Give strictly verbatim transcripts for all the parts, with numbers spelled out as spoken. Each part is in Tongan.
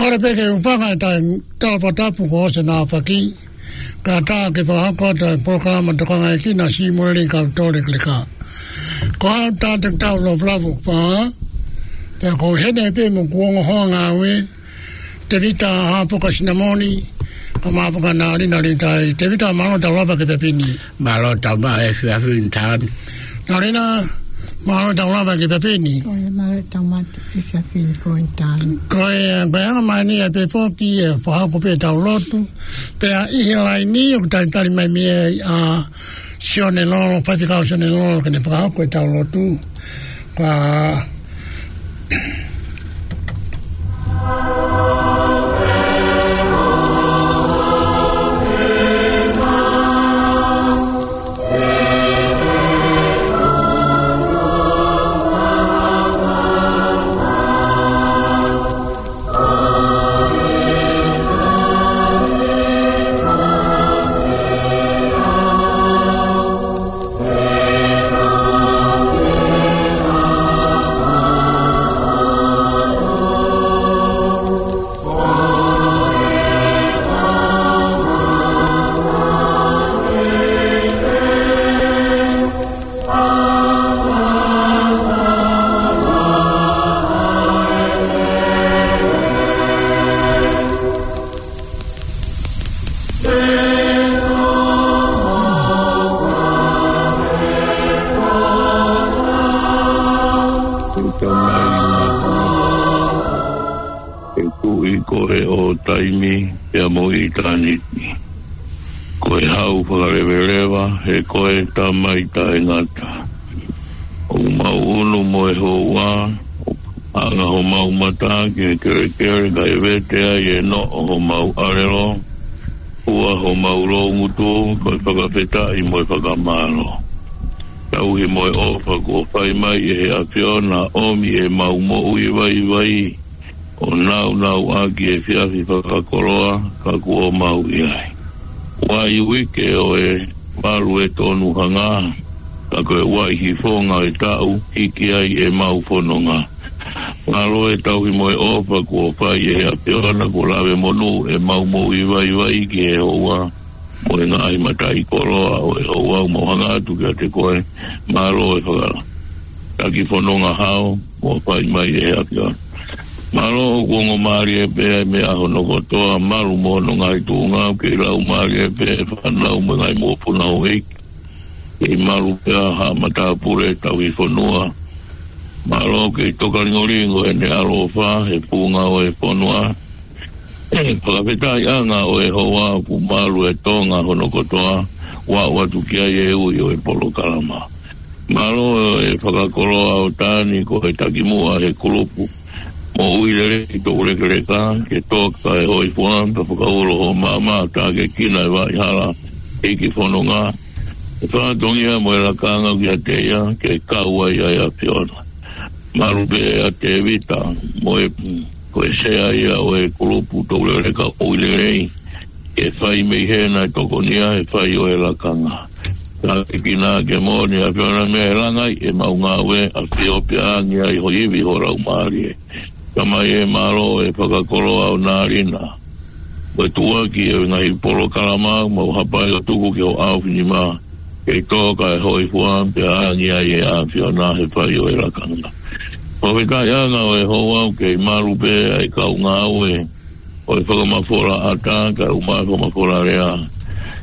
Kole pē ke u fakaʻatā e tala fakatapu kuo ʻosi ʻene aofaki. Kae ʻatā ke fakahoko atu e polokalama tokangaʻi ʻe Kina Simoleli Kautole Keleka. Ko au Tātaki Tau Lofulafu Fā. Pea ko e heni pē mo hoku ongo hoa ngāue, Tevita Hapoka Sinamoni, pea mo Hapoka Nalina Litai. Tevita, mālō tau lava ki he efiafi ni. Mālō tau maʻu e efiafi ni Tāni. Nalina, mālō tau lava ki he efiafi ni. Ko ia, mālō tau maʻu e efiafi ni ko eni Tāni. Ko ia, ko e anga mai eni ʻa e pē foki ʻe fakahoko pē ʻetau lotu. Pea ʻi he laini ʻoku talitali mai mei ai ʻa Sione Lolo, Faifekau Sione Lolo, ke ne fakahoko ʻetau lotu. Ka He kuʻi koe ʻo taimi pea mo ʻitāniti. Ko e hau fakaleveleva, he ko e Tamai taʻengata. ʻOku mau ʻunu mo e houa, ʻoku anga homau mata ki he kelekele kae vete ai e noʻo homau ʻālelo, ua homau loungutu, ko e fakafetaʻi mo e fakamālō. Tauhi mo e ʻofa kuo fai mai ʻe he ʻAfiona ʻomi ʻemau moʻui vaivai, ʻo nāunauʻaki e efiafi fakakoloa ka kuo mau ʻi ai. Uaʻi uike ʻo e valu e tonu hangē, ka ko e uaʻi hifonga e taʻu hiki ai ʻemau fononga. Mālō e tauhi mo e ʻofa kuo fai ʻe he ʻAfiona kuo lave monū ʻemau moʻui vaivai ki he houa, mo e ngaahi mataʻikoloa ʻo e houa. ʻOku mau hanga atu kiate koe, mālō e fakalaki fononga hao kuo fai mai ʻe he ʻAfiona. Mālō ʻoku ongo mālie pē ʻa e meʻa hono kotoa, malu mo hono ngaahi tuʻunga, ʻoku kei lau mālie pē e fānau mo e ngaahi mokopuna houʻeiki. Kei malu pē ʻa haʻa matāpule tauhi fonua. Mālō ʻoku kei tokalingolingo ʻene ʻaloʻofa he funga ʻo e fonua. Fakafetaʻi ʻanga ʻo e houa ʻoku malu e Tonga hono kotoa, ʻoku aʻu atu ki ai e ui ʻo e polokalama. Mālō e fakakoloa ʻo Tāni ko e takimuʻa he kulupu moʻui lelei Toulekeleka, ke toka e hoifua pea fakaulo ho maama, tākiekina e Vaʻihala ʻEiki Fononga, e fatongia mo e lakanga kiate ia, ke kau ai ʻa e ʻAfiona. Malu pē ʻa Tēvita, mo e, ko e sea ia ʻo e kulupu Toulekeleka ʻo e lelei, ke fai mei hena e tokonia he fai ʻo e lakanga. Tākiekina ke moʻoni ʻa e ʻAfiona mei he langai ʻemau ngāue, ʻafio pea angi ai ho ivi ho laumālie. Tamai ē, mālō e fakakoloa ʻo Nalina. Mo e tuʻuaki e ngaahi polokalama, mau hapai ʻo tuku ki ho ʻaofinima, kei toka e hoifua pea angi ai e ʻAfiona he fai ʻo e lakanga. Fakafetaʻi ʻanga ʻo e houa ʻoku kei malu pē ʻa e kau ngāue ʻo e fakamafola ʻata, kae ʻumaʻā e fakamafola lea.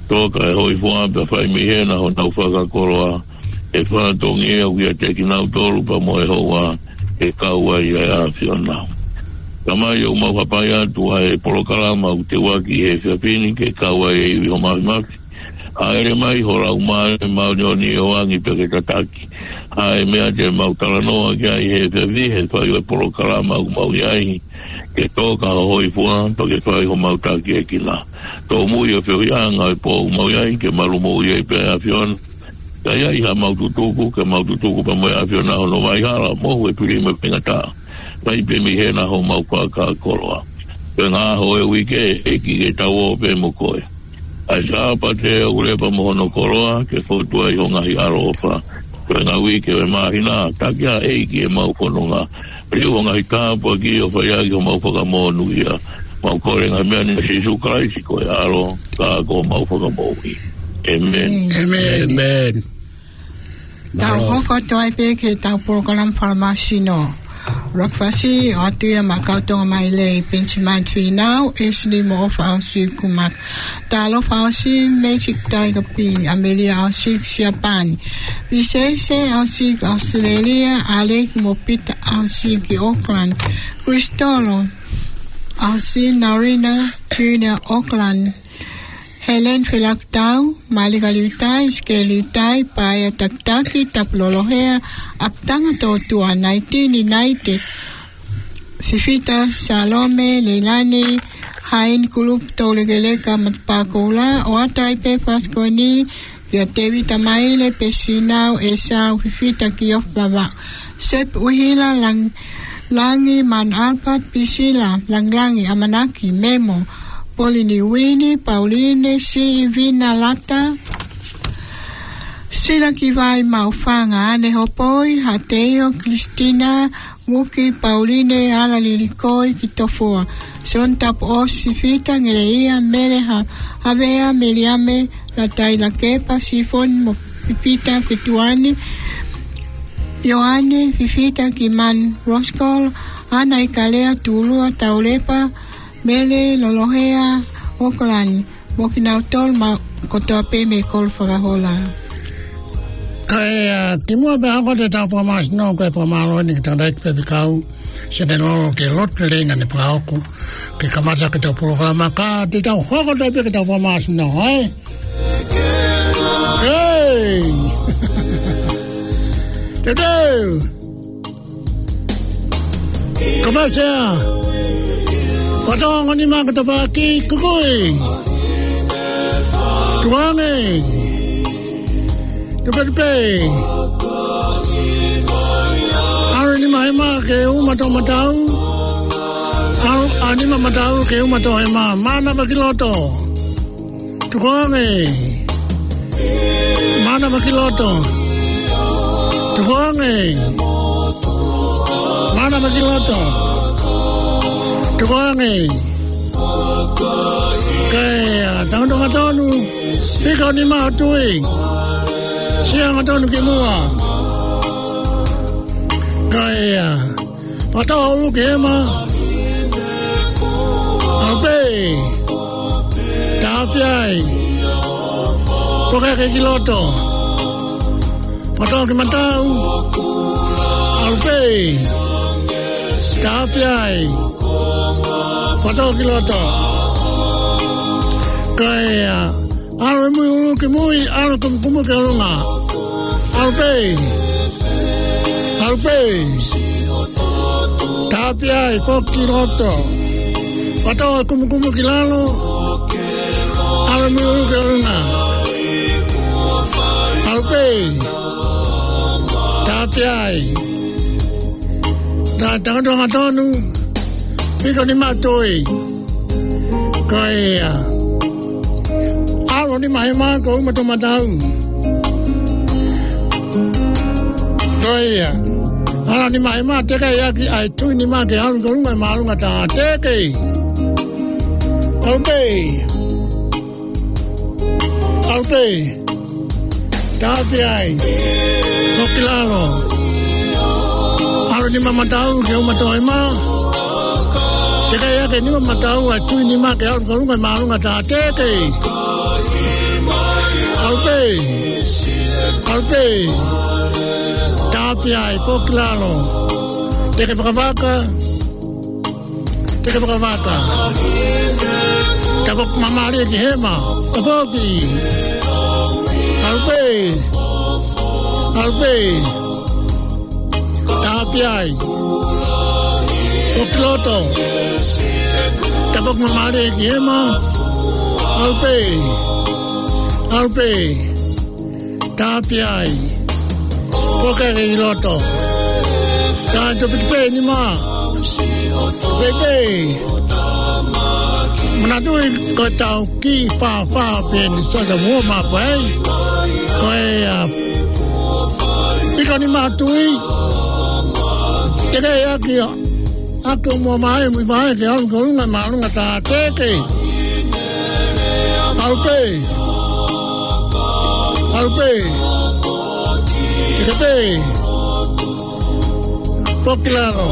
Toka e hoifua pea fai mei hena honau fakakoloa, e fatongia ʻoku ʻiate kinautolu pea mo e houa, ke kau ai ʻa e ʻAfiona. Tamai ē, ʻoku mau hapai atu ʻa e polokalama ʻoku teuaki he efiafi ni, ke kau ai e ivi ho māfimafi. Hāʻele mai ho Laumālie Māʻoniʻoni ʻo angi pea ke tataki ʻa e meʻa te mau talanoa ki ai he efiafi, he fai ʻo e polokalama ʻoku mau ʻi ai, ke toka ho hoifua pea ke fai homau tākiekina. Tōmui ʻa e feohiʻanga ʻo e pō ʻoku mau ʻi ai, ke malu moʻui ai pē ʻa e ʻAfiona. Ka ʻi ai haʻamau tutuku, ke mau tutuku pea mo e ʻAfiona hono Vaʻihala, mohu e pili mo e faingataʻa. Fai pē mei hena homau fakakoloa. Ko e ngaahi ʻaho ʻo e uike, ʻEiki, ke tau ō pē mo koe. ʻA e Sāpate ʻoku lepa mo hono koloa, ke fotu ai ho ngaahi ʻaloʻofa. Ko e ngaahi uike ʻo e māhina, taki ā ʻEiki ʻemau fononga. Liu ʻo e ngaahi tāpuaki ʻo fai ʻaki homau fakamonūʻia. Mau kole ngaahi meʻa ni ʻia Sīsū Kalaisi ko e ʻAlo, ka ko homau Fakamoʻui. ʻĒmeni. ʻĒmeni. ʻĒmeni. Tau hoko atu ai pē ki heʻetau polokalama fakamāsino. Breakfast, ʻoatu ia maʻa Kautonga Maile, Penisimani Fīnau, Esili Moʻofa ʻAosiki Kumaka. Talofa ʻAosiki, Magic Tiger Pini, Amelia ʻAosiki Siapani. Visese ʻAosiki Australia, Alec mo Pita ʻAosiki Auckland. Kristolo ʻAosiki, Narina Junior Auckland. Helen Felakutau, Malika Liutai, Sike Liutai, Paea Takitaki, Tapu Lolohea, ʻApitanga Tōtua, Naitini Naite, Fifita Salome, Leilani, Haini Kulupu, Toulekeleka, Matapā Koula, ʻoatu ai pē fasikoni kia Tēvita Maile, Pesi Fīnau, ʻEsau, Fifita Kiofava, Sep ʻUhila, Lang-, Langi, Man Albert, Pisila, Langilangi, ʻAmanaki, Memo, Polini Uini, Pauline, Siʻi, Vina Lata, Sila Kivai, Maufanga, Ane Hopoi, Hateio, Kristina, Muki, Pauline, Ala Lilikoi, Kitofoa, Son Tapu ʻOsi, Fita, Ngeleia, Mele, Ha-, Havea, Meliame, Latai, Lakepa, Sifoni mo Fifita, Kituani, Ioane, Fifita, Kiman, Roskol, Ana Ikalea, Tulua, Taulepa, Mele, Lolohea, Okolani, mo kinautolu ma kotoa pē mei Kolo Fakahola. Kae, ʻa, kimuʻa pea hoko atu ʻetau fakamāsino, ko e fakamālō eni ki he tangataʻeiki faifekau, Senelolo, ki he lotu lelei naʻa ne fakaʻoku ke kamata ʻaki ʻetau polokalama, ka te tau hoko atu pē ki heʻetau fakamāsino, ē? Hei! Teuteu! Kapasia. Fatongo ni maka tapaki kukui. Tuange. Tupetupe. ʻAlu nima hema ke uma toʻomatau. ʻAlu, ʻalu nima matau ke uma toʻohema. Mana paki loto. Tukuange. Mana paki loto. Tukuange. Mana paki loto. Tukuange. Kae, ʻa, tangutu ngatonu. Piko ni mautui. Sia ngatonu ki muʻa. Kae, ʻa, Pata ʻulu ki hema. ʻAlu pē. Tāpia ai. Poke hake ki loto. Pata ki matau. ʻAlu pē. Tāpia ai. Pata ki loto. Kae, ʻa, ʻalu ʻi mui ʻulu ki mui, ʻalu kumukumu ki ʻolunga. ʻAlu pē. ʻAlu pē. Tāpia ai, foki ki loto. Pata kumukumu ki lalo. ʻAlu ʻi mui ʻulu ki ʻolunga. ʻAlu pē. Tāpia ai. Tangutu ngatonu. Piko ni mautui. Ko ia. ʻAlu nima hema ke uma toʻomatau. Ko ia. ʻAlu nima hema, teke ʻaki ʻa e tui nima ke ʻalu ki ʻolunga ʻi māʻolunga tā, teke. ʻAlu pē. ʻAlu pē. Tāpia ai. Foki ki lalo. ʻAlu nima matau ke uma toʻohema. Teke ʻaki e nima matau ʻa e tui nima ke ʻalu ki ʻolunga ʻi māʻolunga tā, teke. ʻAlu pē. ʻAlu pē. Tāpia ai, foki ki lalo. Teke vakavaka. Teke vakavaka. Tapu mamalie ki hema. Tapu ki. ʻAlu pē. ʻAlu pē. Tāpia ai. Foki ki loto. Tapu mamalie ki hema. ʻAlu pē. ʻAlu pē. Tāpia ai. Poke hake ki loto. Tangutu pē nima. Pē pē. Manatuʻi ko ʻetau kiʻi fāfā pē ni, sasa muʻa pē. Ko e, ʻa, piko ni mautui. Teke ʻaki ʻa, ʻaki ʻo Muʻa Vaʻe, Muivaʻe ke ʻalu ki ʻolunga, māʻolunga tā teke. ʻAlu pē. ʻAlu pē. Teke pē. Poki lalo.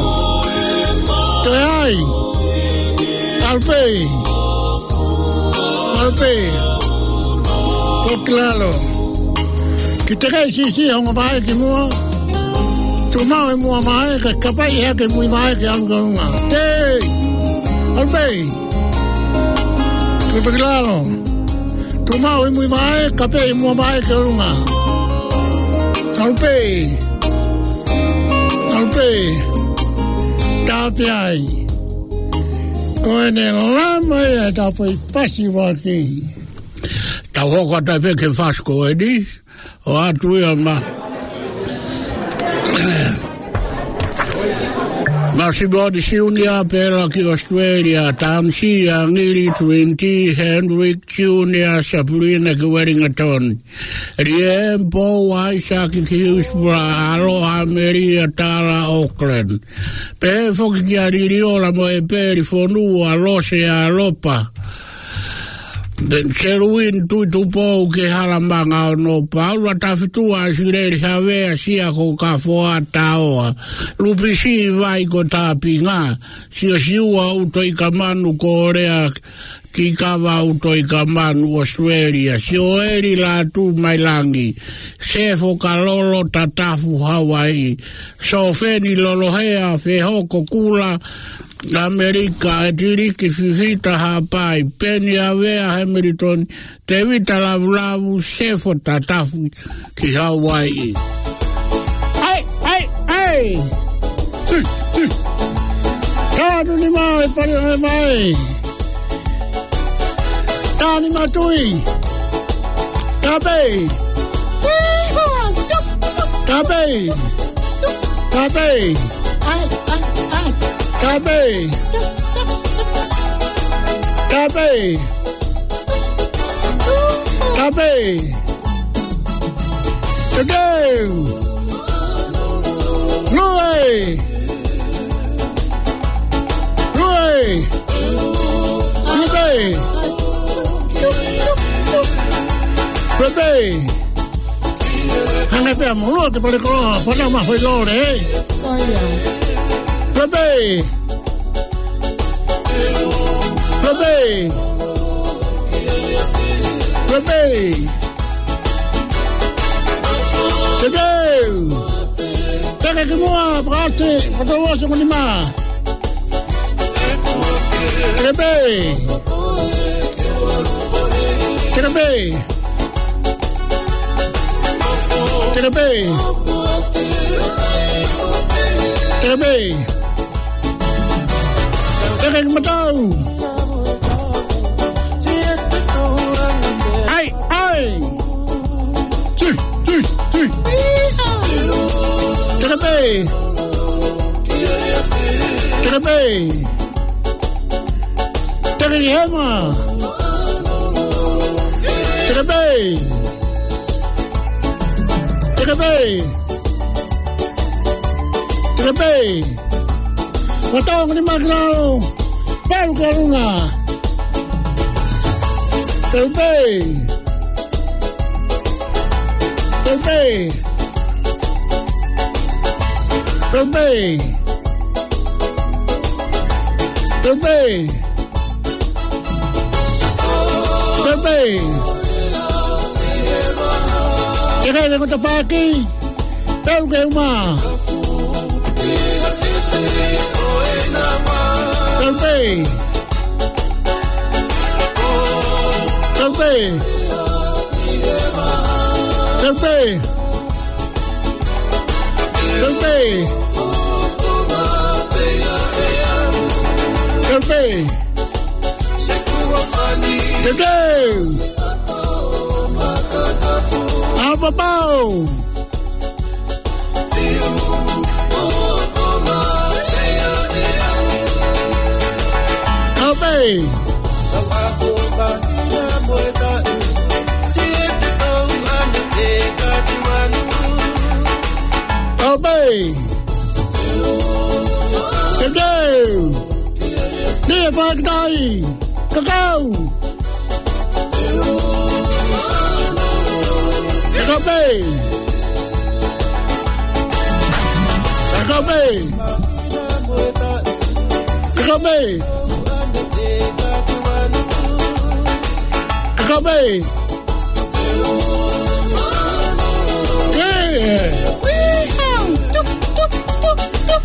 Toe ai. ʻAlu pē. ʻAlu pē. Poki lalo. Kiʻi teke siʻisiʻi ʻa Muʻa Vaʻe ki muʻa. Tuʻu maʻu ʻe Muʻa Vaʻe, kae kapai ʻe hake Muivaʻe ke ʻalu ki ʻolunga. Tē! ʻAlu pē! Poki lalo. Tuʻu maʻu ʻe Muivaʻe, kapai ʻe Muʻa Vaʻe ki ʻolunga. ʻAlu pē! ʻAlu pē! Tāpē ai. Ko ʻene lama ia e tāpoi fasi vaki. Tau hoko atu pē ki he fasi ko eni. ʻO atu ia ma. Masimoni Siunia, Pela ki ʻAositelēlia, Tansi, Angili, Trinity, Hendrik Siunia, Sapulina ki Wellington, Liempo, Aisaki ki Hillsborough, Aloha, Melia, Tala, Auckland. Pehē foki kia Liliola mo ʻEpeli Fonua, Lose, Alopa. Seluini Tuʻitupou ki Halamanga, ʻo Nopa, Ula Tafitua, ʻAsileli Havea, Sia ko Kafoa, Taoa, Lupisi Vai ko Tāpinga, Siosiua ʻUtoikamanu, Kōlea ki Kava, ʻUtoikamanu, ʻAositelēlia, Sioeli Lātū Mailangi, Sefo Kalolo, Tatafu, Hauaiʻi, Sofeni Lolohea, Fehoko Kula, ʻAmelika, ʻEtiliki Fifita, Haʻapai, Peni Avea, Hamilton, Tevita Lavulavu, Sefo, Tatafu ki Hauaiʻi. ʻAi, ʻai, ʻai! Tanu ni mai, pali mai mai. Tanu ni matui. Kape. Kape. Kape. Kape. Kape. Kape. Tadeu. Lue. Lue. Lue. Lue. Hanga pē ʻa Moloa ke pale koloa, pale ma fai lole, ē? ʻOia. Pepe. Pepe. Pepe. Pepe. Teke ki muʻa, pakaʻosi, pakaʻosi mo nima. Teke pē. Teke pē. Teke pē. Teke pē. Teke ki matau. ʻAi, ʻai. Tui, tui, tui. Teke pē. Teke pē. Teke ki hema. Teke pē. Teke pē. Teke pē. Matau ki nima ki lalo. Pelu ki ʻolunga. Pelu pē. Pelu pē. Pelu pē. Pelu pē. Pelu pē. Teke ki he kota paki. Pelu ki he uma. Pelu pē. Pelu pē. Pelu pē. Pelu pē. Pelu pē. Pelu pē. ʻApapau. ʻApē. ʻApē. Pakitai. Kakau. Kakau pē. Kakau pē. Kakau pē. Kakau pē.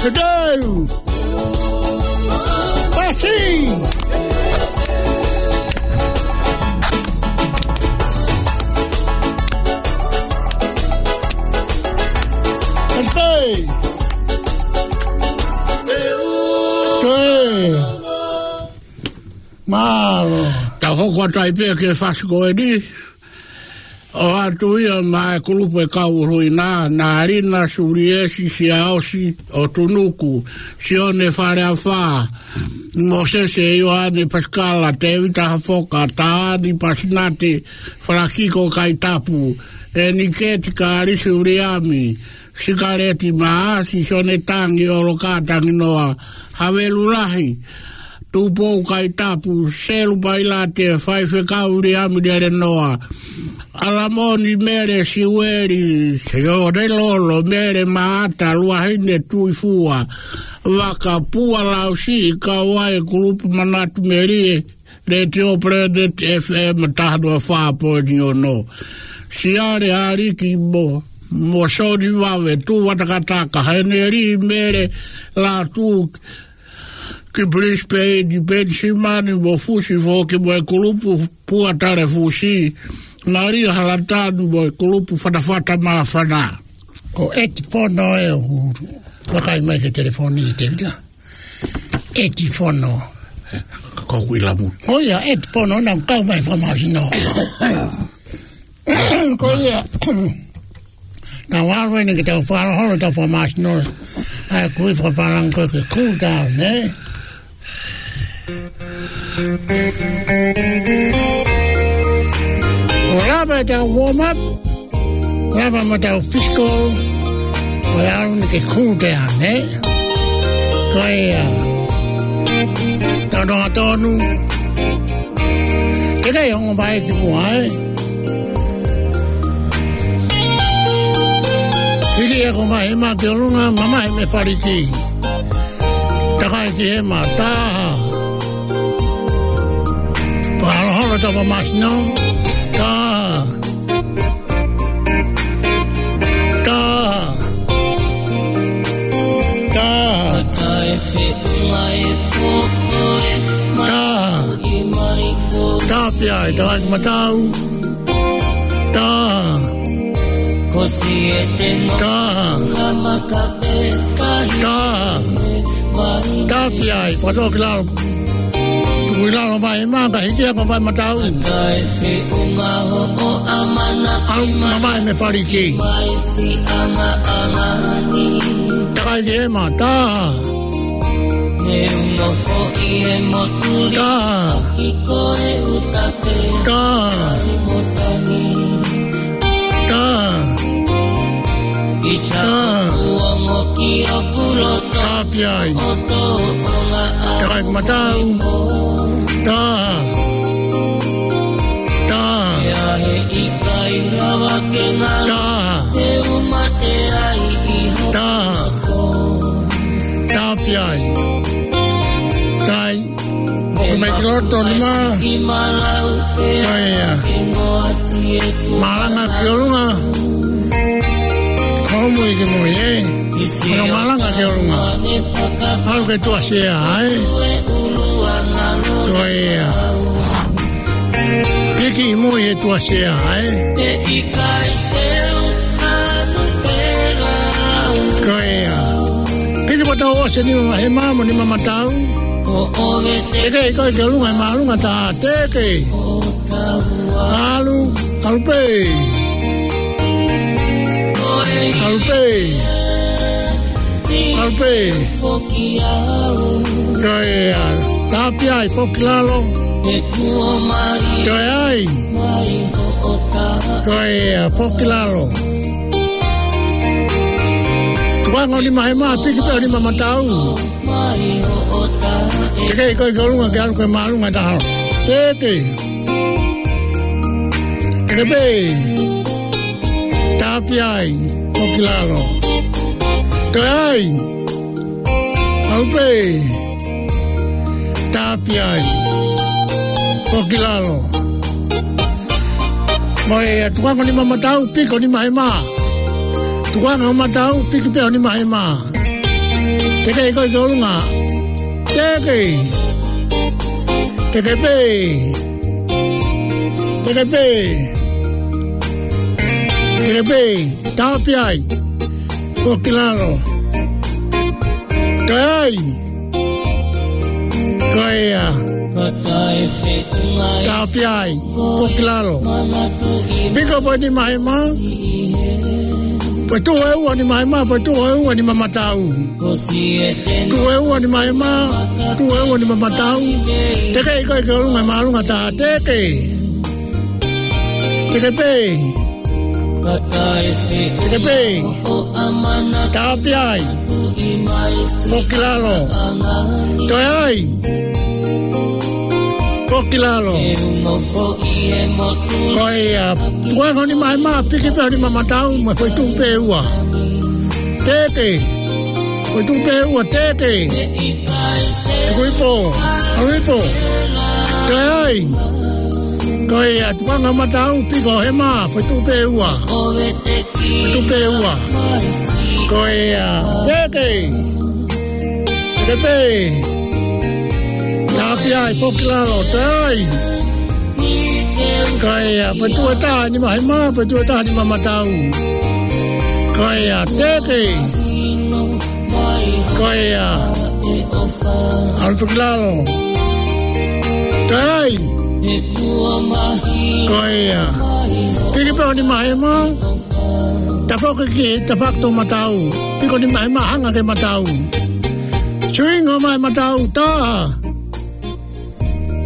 Kakau. Pasi. Pasi. Mālō. Tau hoko atu ai pē ki he fasi ko eni. ʻOatu ia maʻa e kulupu e kau ʻuluʻi na, Nalina, Suliesi, Siaosi, ʻOtunuku, Sione Faleafa, Mōsese Ioane Pasikala, Tēvita Hafoka, Taani Pasinati, Falakiko Kaitapu, Eniketi Kalisi Uliami, Sikaleti Maasi, Sione Tangi, ʻOloka Tanginoa, Havelu Lahi, Tupou Kaitapu, Selu Pailate, Faifekau Uliami Lelenoa, ʻAlamoni Mele, Siueli, Sione Lolo, Mele Maata, Luahine Tuifua, Vakapua Lausi, kau ai e kulupu Manatu Melie, Letiō Planet F M taha noa fā poini ono. Siale Aliki mo, mo Soni Vave, Tuvatakataka, Heneli Mele Latu, ki Brisbane, Penisimani mo Fusi foki mo e kulupu Pua Tale Fusi, Malia Halatani mo e kulupu Fatafata Māfana. Ko Eti Fono ē ʻoku vakai mai ki he telefoni, Tēvita. Eti Fono. Ko ʻeku ʻilamu. ʻO ia, Eti Fono naʻa ku kau mai fakamāsino. Ko ia. Naʻa ku ʻalu eni ke tau fakaholoholo ʻetau fakamāsino. ʻA ia ko e fakapālangi ko ē ke cool down, ē? ʻO lava ʻetau warm up, lava mo ʻetau physical, ʻo ʻalu eni ke cool down, ē? Ko ia. Tau nonga tonu. Teʻeki ai ongo mai ki muʻa, ē? Hiki ʻa e konga hema ki ʻolunga, mamahi mei faliki. Takai ki hema, taha. Pakaholoholo ʻetau fakamāsino, taha. Taha. Taha. Taha. Taha pē ai, takai ki matau. Taha. Taha. Taha. Taha pē ai, fakatō ki lalo. Tuku ʻi lalo mai, maka hiki ʻa e konga matau. ʻAlu mamahi mei faliki. Takai ki hema, taha. Taha. Taha. Taha. Taha. Taha pē ai. Takai ki matau. Taha. Taha. Taha. Taha. Taha pē ai. Taha. ʻOku mai ki loto nima. Ko ia. Malanga ki ʻolunga. Hoʻo mui ki mui, ē? Hono malanga ki ʻolunga. ʻAlu ki he tuʻa sea, ē? Ko ia. Hiki mui he tuʻa sea, ē? Ko ia. Hiki matau ʻo e nima hema mo e nima matau. Teʻeki ai ʻikai ke ʻolunga he māʻolunga, taha, teʻeki. ʻAlu, ʻalu pē. ʻAlu pē. ʻAlu pē. Ko ia, taha pē ai, foki lalo. Toe ai. Ko ia, foki lalo. Tukuange ʻo e nima hema, piki pē ʻo e nima matau. Teke, ʻikai ko e ʻolunga ke ʻalu ko e māʻolunga taha. Teke. Teke pē. Tāpia ai. Foki lalo. Toe ai. ʻAlu pē. Tāpia ai. Foki lalo. Mo e tukuange ʻo e nima matau, piki ʻo e nima hema. Tukuange ʻo e matau, piki pē ʻo e nima hema. Teke, ʻikai ko e ʻolunga. Teke. Teke pē. Teke pē. Teke pē. Tāpia ai. Foki lalo. Toe ai. Ko ia. Tāpia ai. Foki lalo. Piki pē ʻo e nima hema. Pea tuʻu ʻo e ua ʻo e nima hema, pea tuʻu ʻo e ua ʻo e nima matau. Tuʻu ʻo e ua ʻo e nima hema, tuʻu ʻo e ua ʻo e nima matau. Teke, ʻikai ko e ʻolunga, māʻolunga taha. Teke. Teke pē. Teke pē. Tāpia ai. Foki lalo. Toe ai. Foki lalo. Ko ia, tukuange ʻo e nima hema, piki pē ʻo e nima matau, mo e foʻi tuʻu pē ʻe ua. Teke. Foʻi tuʻu pē ʻe ua, teke. Tuku hifo. ʻAlu hifo. Toe ai. Ko ia, tukuange ʻo e matau, piki ʻo e hema, foʻi tuʻu pē ʻe ua. Foʻi tuʻu pē ʻe ua. Ko ia, teke. Teke pē. Tāpia ai, foki lalo, toe ai. Ko ia, foʻi tuʻu ʻe taha ʻo e nima hema, foʻi tuʻu ʻe taha ʻo e nima matau. Ko ia, teke. Ko ia. ʻAlu foki lalo. Toe ai. Ko ia. Piki pē ʻo e nima hema. Tafoki ki, tafoki ki he matau. Piki ʻo e nima hema, hanga ki he matau. Swing ʻo e nima matau, tā.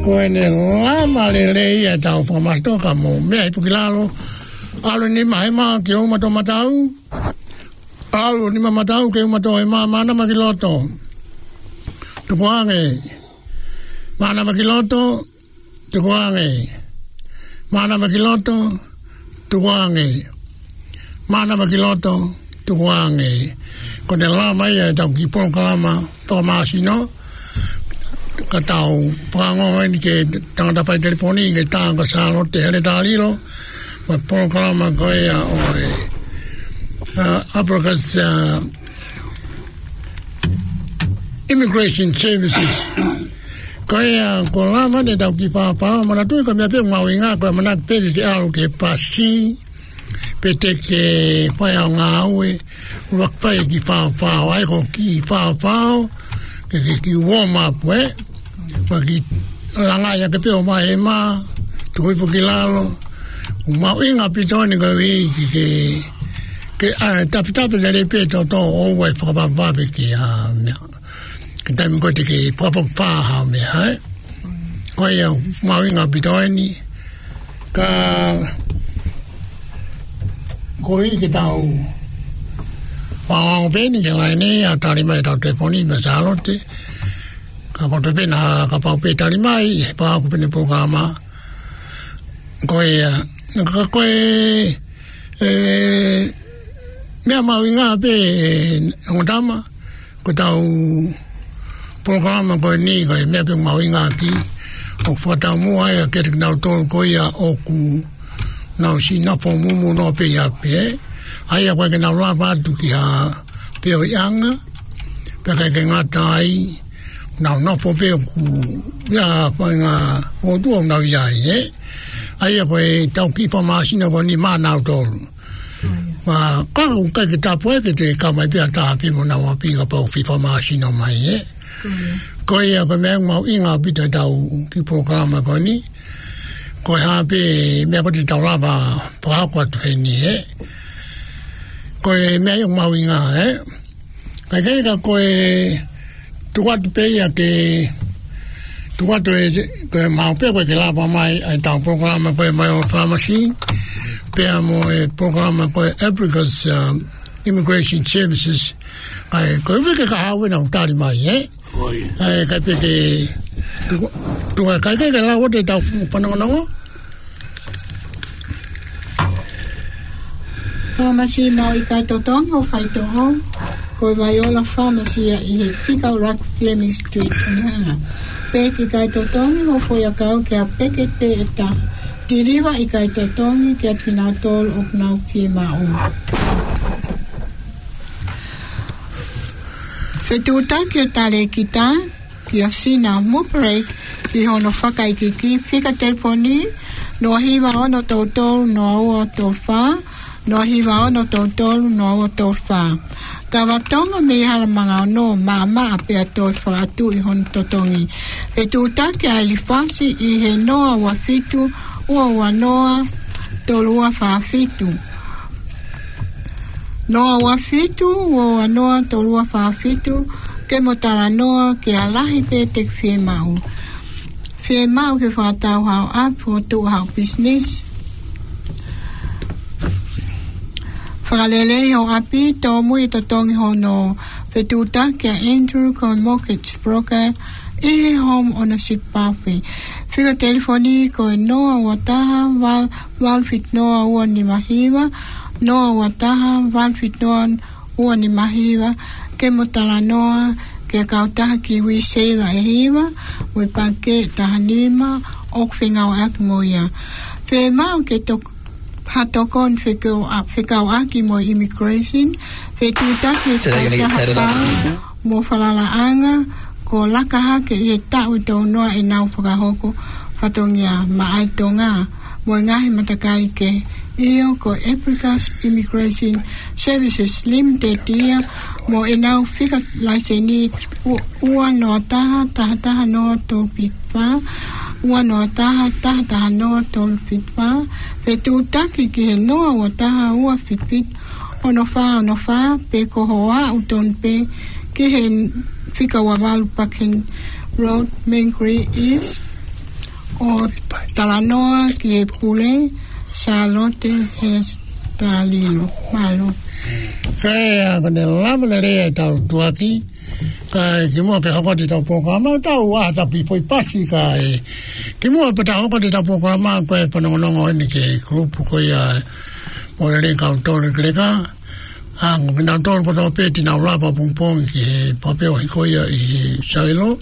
Ko ʻene lava lelei ʻetau fakamasitoka mo meʻa hifo ki lalo. ʻAlu ʻo e nima hema ki he ʻumaʻā ʻo e matau. ʻAlu ʻo e nima matau ki he ʻumaʻā ʻo e hema, mānava ki loto. Tukuange. Mānava ki loto. Tukuange. Mānava ki loto. Tukuange. Mānava ki loto. Tukuange. Ko ʻene lava ia ʻetau kiʻi polokalama fakamasino. Ka tau fakaongo eni ki he tangata fai telefoni, ki he tangata Sālote Heletā Lilo. Mo e polokalama ko ia ʻo e, ʻa, Abacus, ʻa, Immigration Services. Ko ia, ko e lava eni ʻetau kiʻi faʻofaʻo, manatuʻi ko e meʻa pē ʻoku mahuʻinga, ko e ʻamanaki pē ke ke ʻalu ki he pasi, pe te ke fai haʻo ngāue, ʻuluaki fai e kiʻi faʻofaʻo, ʻai ko e kiʻi faʻofaʻo, ke, ke, ke warm up, ē? Pea ke langaʻi hake pē ʻo e hema, tuku hifo ki lalo, ʻoku mahuʻinga ʻaupito eni koeʻuhi ke, ke, ke, ʻa, tafitafi lelei pē ʻa e toto ʻoua ʻe fakavavevave ki ha meʻa. Ki he taimi ko ē te ke fakafokifā haʻo meʻa, ē? Ko ia ʻoku mahuʻinga ʻaupito eni, ka koeʻuhi ke tau fakaongo pē eni ki he laine ʻa e tali mai ʻetau telefoni mei Sālote. Ka ko e toe pē naʻa kapau pē tali mai, he pea ko e pehē ʻene polokalama. Ko ia, ka ko e, ē, meʻa mahuʻinga pē, ē, ongo tama, ko ʻetau polokalama ko eni, ko e meʻa pē mahuʻinga ki, ʻoku fakataumuʻa ia kiate kinautolu ko ia ʻoku nau siʻi nofo mumuʻa pē ʻi ʻapi, ē. ʻA ia ʻoku ʻikai ke nau lava atu ki ha feohiʻanga, pea ʻikai ke ngata ai, nau nofo pē ʻoku ʻi ai ha faʻahinga ʻotua ʻoku nau ʻi ai, ē. ʻA ia ko ʻetau kiʻi fakamasino ko eni maʻanautolu. Pea ka ʻoku ʻikai ke tapu ai ke te kau mai pē ha taha pē mo ʻenau ʻapi kapau ʻoku fai fakamasino mai, ē. Ko ia ko e meʻa ʻoku mahuʻinga ʻaupito ʻetau kiʻi polokalama ko eni. Ko e hā pē meʻa ko ē te tau lava fakahoko atu heni, ē. Ko e meʻa ia ʻoku mahuʻinga, ē. Ka ʻikai ka ko e tuku atu pē ia ke, tuku atu ē, ko e maʻu pē ko ē ke lava mai ʻa ʻetau polokalama ko e Maʻi Fāmasi, pea mo e polokalama ko e Abacus, um, Immigration Services. ʻA ia, ko e uike kahaʻu ena ʻoku tali mai, ē? ʻAi, kae pē ke tuku, tuku ā kae ke, ke lau ʻo te tau fu-, fanongonongo. Pharmacy maʻu ʻikai totongi hoʻo faitoʻo, ko e Vaiola Pharmacy ia ʻi he fika ʻuluaki Fleming Street, Onehunga. Pehē ki he ʻikai totongi hoʻo foʻiʻakau ki ha peketi pē ʻe taha. Deliver ʻikai totongi kiate kinautolu ʻoku nau fiemaʻu. Fetuʻutaki ʻa e talēkita kia Sina Muperek ki hono fakaikiiki, fika telefoni noa hiva ono tolu tolu noa ua tolu fā, noa hiva ono tolu tolu noa ua tolu fā. Kava Tonga mei Halamanga ono, maʻamaʻa pea toe fakatuʻi hono totongi. Fetuʻutaki ʻa e lifasi ʻi he noa ua fitu, ua ua noa, tolu ua fā fitu. Noa ua fitu, ua ua noa, tolu ua fā fitu, ke mo talanoa ki ha lahi pē te ke fiemaʻu. Fiemaʻu ke fakatau haʻo ʻapi, fokotuʻu haʻo business. Fakalelei hoʻo ʻapi, tōmui e totongi hono fetuʻutaki ʻa Andrew ko e mortgage broker ʻi he home ownership pathway. Fika telefoni ko e noa ua taha, valu fitu noa ua nima hiva, noa ua taha, valu fitu noa ua nima hiva, ke mo talanoa ki he kautaha Kiwi Saver ʻe hiva, mo e pangikē ʻe taha nima, ʻoku fengāueʻaki mo ia. Fiemaʻu ke tok-, ha tokoni fekau-, ʻa, fekauʻaki mo e immigration, fetuʻutaki e kautaha pau mo falalaʻanga, ko Laka Hake ʻi he taʻu ʻe tolu noa ʻenau fakahoko fatongia maʻa e Tonga mo e ngaahi matakali kehe. ʻIo, ko Africa's Immigration Services Limited ia, mo ʻenau fika laiseni ua, ua noa taha, taha taha noa tolu fitu fā, ua noa taha, taha taha noa tolu fitu fā, fetuʻutaki ki he noa ua taha, ua fitu fitu, ono fā ono fā, pe ko hoʻo aʻu tonu pē ki he fika ua valu Buckingham Road, Mangere East, ʻo talanoa ki he pule, Sālote Hestalino. Mālō. Kae ʻa, ko ʻene lava lelei ʻetau tuʻuaki, kae kimuʻa ke hoko atu ʻetau polokalama, tau ʻā taki foʻi pasi kae kimuʻa pea tau hoko atu ʻetau polokalama, ko e fanongonongo eni ki he kulupu ko ia ʻo e lelei kau tole keleka. ʻA, ko kinautolu kotoa pē te nau lava pongipongi ki he papeleo ko ia ʻi he Sailo.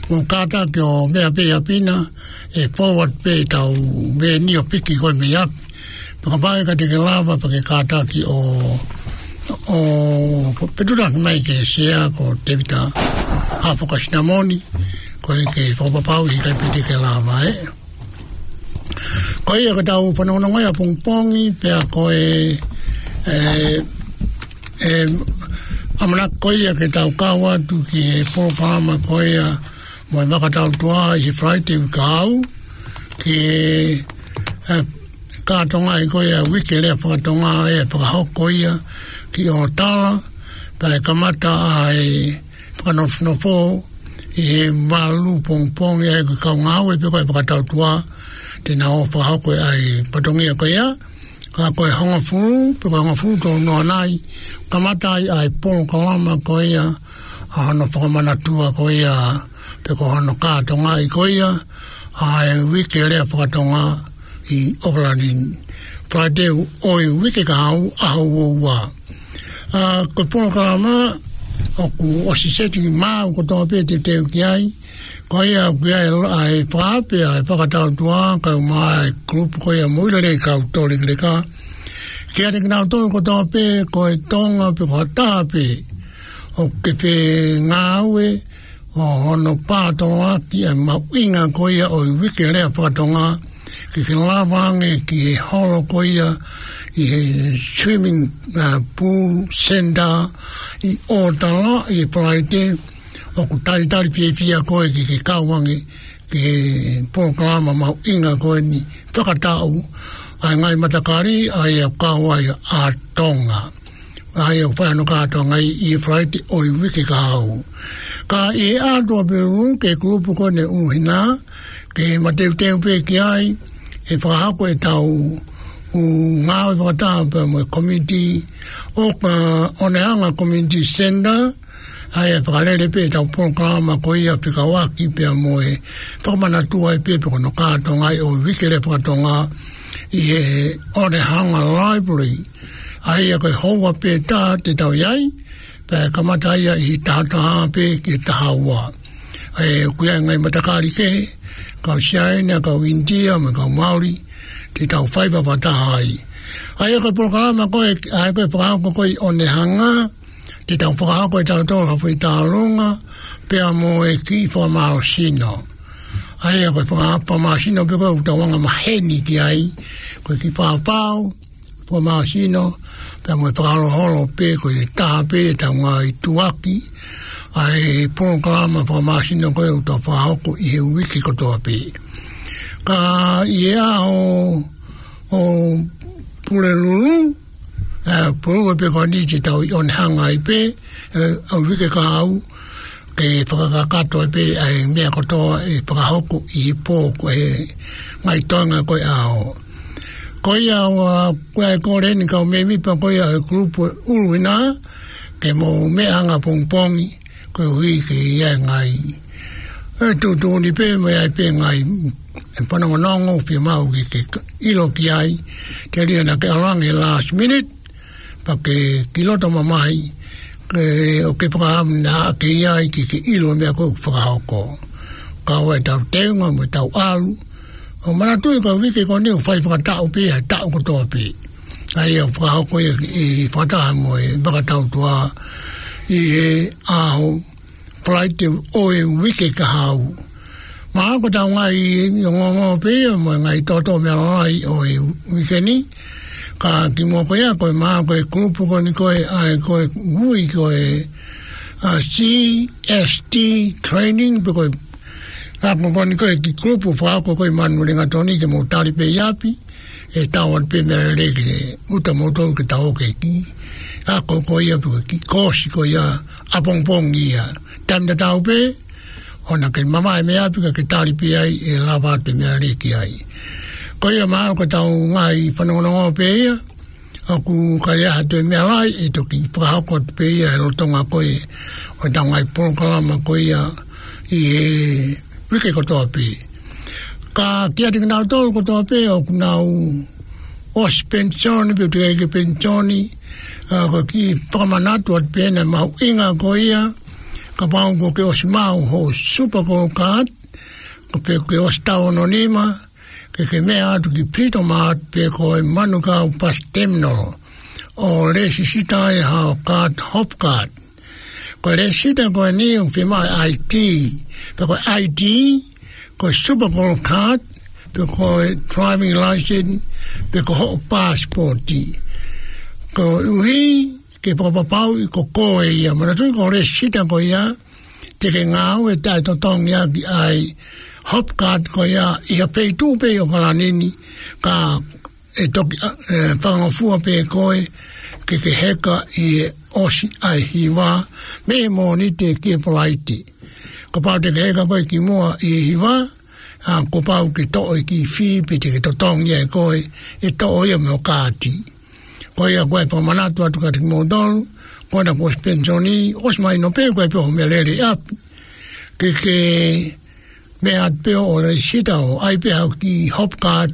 Mou kātaki ʻo meʻa pē ʻi ʻapi na, ʻe forward pē ʻetau veni ʻo piki koe mei ʻapi. Pea kapau ʻe ʻikai te ke lava pea ke kātaki ʻo, ʻo, fetuʻutaki mai ki he sea ko Tēvita Hafoka Sinamoni, ko e ke fakapapauʻi ʻikai pē te ke lava, ē. Ko ia ko ʻetau fanongonongo ia pongipongi, pea ko e, e, e, ʻamanaki ko ia ke tau kau atu ki he polokalama ko ia mo e Vaka Tautua ʻi he Falaite uike kahaʻu, ki he, e, kātoanga ʻi ko ia Uike Lea Fakatonga ʻe fakahoko ia ki ʻOtala, pea ʻe kamata ʻa e fakanofonofo ʻi he valu pongipongi ʻa e kau ngāue pe ko e Vaka Tautua, te nau fakahoko ʻa e fatongia ko ia, ka ko e hongofulu, pe ko e hongofulu tolu noa nai, kamata ai ʻa e polokalama ko ia, ʻa hono fakamanatua ko ia, pe ko hono kātoanga ʻi ko ia, ʻa e Uike Lea Fakatonga ʻi ʻOkalani, Falaite ʻo e uike kahaʻu ʻaho ua ua. ʻA, ko e polokalama ʻoku ʻosi seti maʻau kotoa pē te teu ki ai. Ko ia ʻoku ʻi ai ʻa e fakaafe ʻa e Vaka Tautua, kae ʻumaʻā e kulupu ko ia mo e lelei kau tole keleka. Kiate kinautolu kotoa pē, ko e Tonga pe ko ha taha pē ʻoku ke fengāueʻaki ʻo hono pātoloaki ʻa e mahuʻinga ko ia ʻo e Uike Lea Fakatonga, ke ke lava ange ki he holo ko ia ʻi he swimming, uh, pool center ʻi ʻOtala ʻi he Falaite, ʻoku talitali fiefia koe ke ke kau ange ki he polokalama mahuʻinga ko eni fakataʻu ʻa e ngaahi matakali ʻa ia ʻoku kau ai ʻa Tonga. ʻA ia ʻoku fai hono kātoanga ʻi he Falaite ʻo e uike kahaʻu. Ka ʻi he ʻaho ʻo Pulelulu ki he kulupu ko eni ʻuhinga, ke mateuteu pē ki ai, ʻe fakahoko ʻetau ngāue fakataha pea mo e komiti ʻo e Onehunga Community Centre, ʻA ia ʻe fakalele pē ʻetau polokalama ko ia fekauʻaki pea mo e fakamanatua ai pē pe ko hono kātoanga ʻo e uike lea fakatonga ʻi he Onehunga Library. ʻA ia ko e houa pē taha te tau ʻi ai, pea kamata ia ʻi he taha taha pē ki he taha ua. ʻA ia ʻoku ʻi ai e ngaahi matakali kehe, kau Siaina, kau ʻInitia, mo e kau Maori, te tau fai fakataha ai. ʻA ia ko e polokalama ko ē, ʻa ia ko e fakahoko ko ē ʻi Onehunga, te tau fakahoko ʻe tautolu ha foʻi tālunga, pea mo e kiʻi fakamālohisino. ʻA ia ko e faka-, fakamālohisino pē ko ē ʻoku tau anga maheni ki ai, ko e kiʻi fafao, fakamālohisino, pea mo e fakaholoholo pē ko e taha pē ʻetau ngaahi tuʻuaki ʻa e polokalama fakamālohisino ko ē ʻoku tau fakahoko ʻi he uike kotoa pē. Ka ʻi he ʻaho ʻo Pulelulu, ē, Pulelulu pē ko eni te tau ʻi Onehunga ai pē, ē, ʻa e uike kahaʻu, ke fakakakato ai pē ʻa e meʻa kotoa ʻe fakahoko ʻi he pō ko ē, ngaahi toenga ko ē ʻaho. Ko ia ʻoku ʻi ai e kole eni kau mēmipa ko ia ʻo e kulupu ʻuluʻi na, ke mou meʻa anga pongipongi, koeʻuhi ke ʻi ai e ngaahi, ē, tuʻutuʻuni pē, mo ʻi ai pē ngaahi, ē, fanongonongo, fiemaʻu ke, ke ʻilo ki ai, telia naʻa ke ʻalu ange last minute, pea ke kiʻi loto mamahi, ke, ʻo ke fakaʻamu naʻa ke ʻi ai ke, ke ʻilo e meʻa ko ē ʻoku fakahoko. Ka ʻoua ʻe tau teunga mo tau ʻalu. ʻO manatuʻi ko e uike ko eni ʻoku fai fakataʻu pē, ʻa e taʻu kotoa pē. ʻA ia ʻoku fakahoko ia ʻi fakataha mo e Vaka Tautua ʻi he ʻaho Falaite ʻo e uike kahaʻu. Mahalo ko ʻetau ngaahi ongoongo pē ia mo e ngaahi toto meʻa lalahi ʻo e uike ni. Ka kimuʻa ko ia ko e mahalo ko e kulupu ko eni ko ē, ʻa e ko e ui ko e, ʻa, C S T training pe ko e, ʻa, ko eni ko e kiʻi kulupu fakahoko ko ē ʻi Manurewa Tonga ke mou tali pē ʻi ʻapi. ʻE tau atu pē meʻa lelei ke uta moutolu ke tau ō ki he kiʻi ako ko ia pe ko e kiʻi koosi ko ia ʻapongipongi ia. Taimi tatau pē, ʻoua naʻa ke mamaʻo mei ʻapi ka ke tali pē ai ʻe lava atu e meʻa lelei ki ai. Ko ia mahalo ko ʻetau ngaahi fanongonongo pē ia, ʻoku ʻikai ha toe meʻa lahi ʻe toki fakahoko atu pē ia he lolotonga ko ē ʻo ʻetau ngaahi polokalama ko ia ʻi he uike kotoa pē. Ka kiate kinautolu kotoa pē ʻoku nau ʻosi penisioni pe ʻoku teʻeki ke penisioni, ʻa, ko e kiʻi fakamanatu atu pē ena mahuʻinga ko ia, kapau ʻoku ke ʻosi maʻu hoʻo Super Gold Card, ko pe ʻoku ke ʻosi taʻu ono nima, ke ke meʻa atu ki Britomart pe ko e Manukau Bus Terminal, ʻo lēsisita ai haʻo card, Hop Card. Ko e lēsisita ko eni ʻoku fiemaʻu e I D, pe ko e I D, ko e Super Gold Card, pe ko e driving license, pe ko hoʻo passport. Koeʻuhi ke fakapapauʻi ko koe ia. Manatuʻi ko e lēsisita ko ia, te ke ngāue taʻetotongi ʻaki ʻa e Hop Card ko ia ʻi ha feituʻu pē ʻi ʻAokalani ni, ka ʻe toki, ʻa, ʻe fakangofua pē koe ke ke heka ʻi he ʻosi ʻa e hiva mei he Mōnite ki he Falaite. Kapau te ke heka koe kimuʻa ʻi he hiva, ʻa, kuo pau ke toʻo e kiʻi fee pe te ke totongi ai koe, ʻe toʻo ia mei hoʻo kaati. Ko ia ko e fakamanatu atu kiate kimoutolu, ko ena kuo ʻosi penisioni, ʻosi mahino pē ko e pē hoʻo meʻa lelei ʻi ʻapi. Ke ke meʻa atu pē ʻo lēsisita ʻo ʻai pē haʻo kiʻi Hop Card,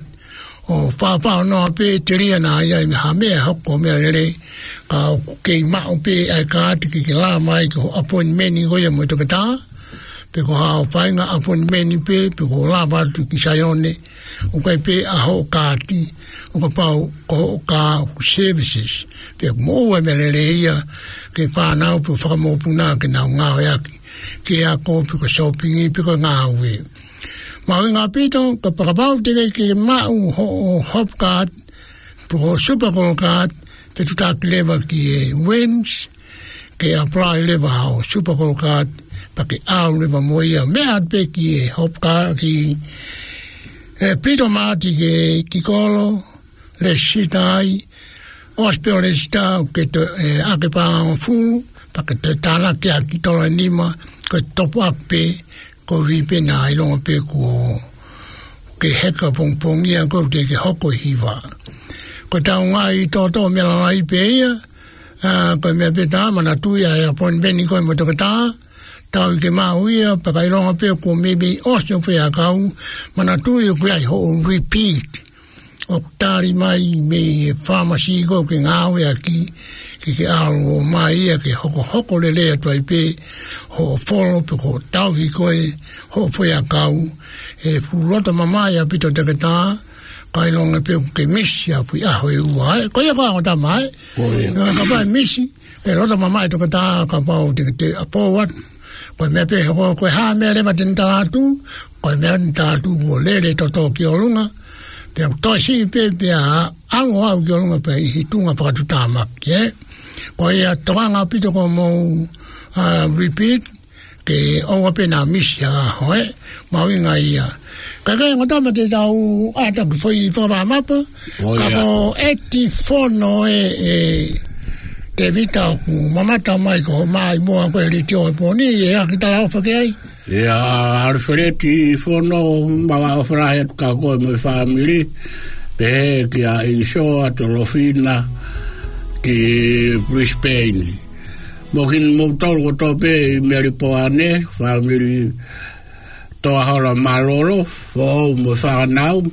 ʻo fāfānoa pē telia naʻa ʻi ai ha meʻa hoko meʻa lelei, ka ʻoku kei maʻu pē ʻa e kaati ke ke lava mai ki hoʻo appointment ko ia mo e toketā, pe ko haʻo faʻahinga appointment pē, pe ko hoʻo lava atu ki Saione, ʻoku ʻi ai pē ʻa hoʻo kaati, ʻo kapau ko hoʻo kā ʻoku services, pe ʻoku moʻua e meʻa lelei ia ki he fānau pe fakamokopuna ke nau ngāueʻaki, ke ako pe ko e shopping pe ko e ngāue. Mahuʻinga ʻaupito, ka kapau te ke, ke maʻu hoʻo Hop Card, pe ko e Super Gold Card, fetuʻutaki leva ki he Wins, ke apply leva haʻo Super Gold Card, pea ke ʻalu leva mo ia, meʻa atu pē ki he Hop Card ki, ē, Britomart ki he kiʻi kolo, lēsisita ai, ʻosi pē hoʻo lēsisita, ʻoku ke toe, ē, ʻai e paʻanga ʻe hongofulu, pea ke toe tānaki ʻaki e tola ʻe nima, ko e top up pē, koeʻuhi pē naʻa ʻilonga pē kuo ke heka pongipongi ia ʻoku teʻeki ke hoko e hiva. Ko ʻetau ngaahi toto meʻa lalahi pē ia, ʻA, ko e meʻa pē tā, manatuʻi ʻa e appointment ko ē mo e toketā, tau ʻi ke maʻu ia, pea ka ʻilonga pē kuo meimei ʻosi hoʻo faiakau, manatuʻi ʻoku ʻi ai hoʻo repeat. ʻOku tali mai mei he pharmacy ko ē ʻoku ke ngāueʻaki, ke ke ʻalu ʻo ō mai ia ke hokohoko lelei atu ai pē hoʻo folo pe ko hoʻo tauhi ko ē hoʻo faiakau, he fuʻu loto mamaʻo ʻaupito e toketā, ka ʻilonga pē ʻoku ke misi ʻa e foʻi ʻaho ʻe ua, ē. Ko ia ko e ongo tama, ē. Ko ia. Ka kapau ʻe misi, ʻe loto mamaʻo e toketā kapau te ke ʻalu atu. Ko e meʻa pē ko, ko e hā e meʻa leva te ne tala atu, ko e meʻa te ne tala atu kuo lele e toto ki ʻolunga, pea ʻoku toe siʻi pē, pea ʻalu ʻo aʻu ki ʻolunga pē ʻi he tuʻunga fakatuʻutāmaki, ē. Ko ia tokanga ʻaupito ko hoʻomou, ʻa, repeat, ke ʻoua pē naʻa misi ha ʻaho, ē, mahuʻinga ia. Ka ko e ongo tama te tau ʻai atu e foʻi fakamaama pē, ʻo ia. Ka ko e ʻeti fono ē, ē, Tēvita ʻoku mamata mai ko e maʻimoa ko e letiō he pō ni, ʻe ʻi ai ha kiʻi talaʻofa ki ai? ʻIa, Alifaleti Fono, mālō ʻofa lahi atu kia koe mo e fāmili, pehē kia ʻIsoa, Tolofina, ki Brisbane. Mo kimoutolu kotoa pē ʻi Melipoane, fāmili Toahola Malolo, foʻou mo e fānau,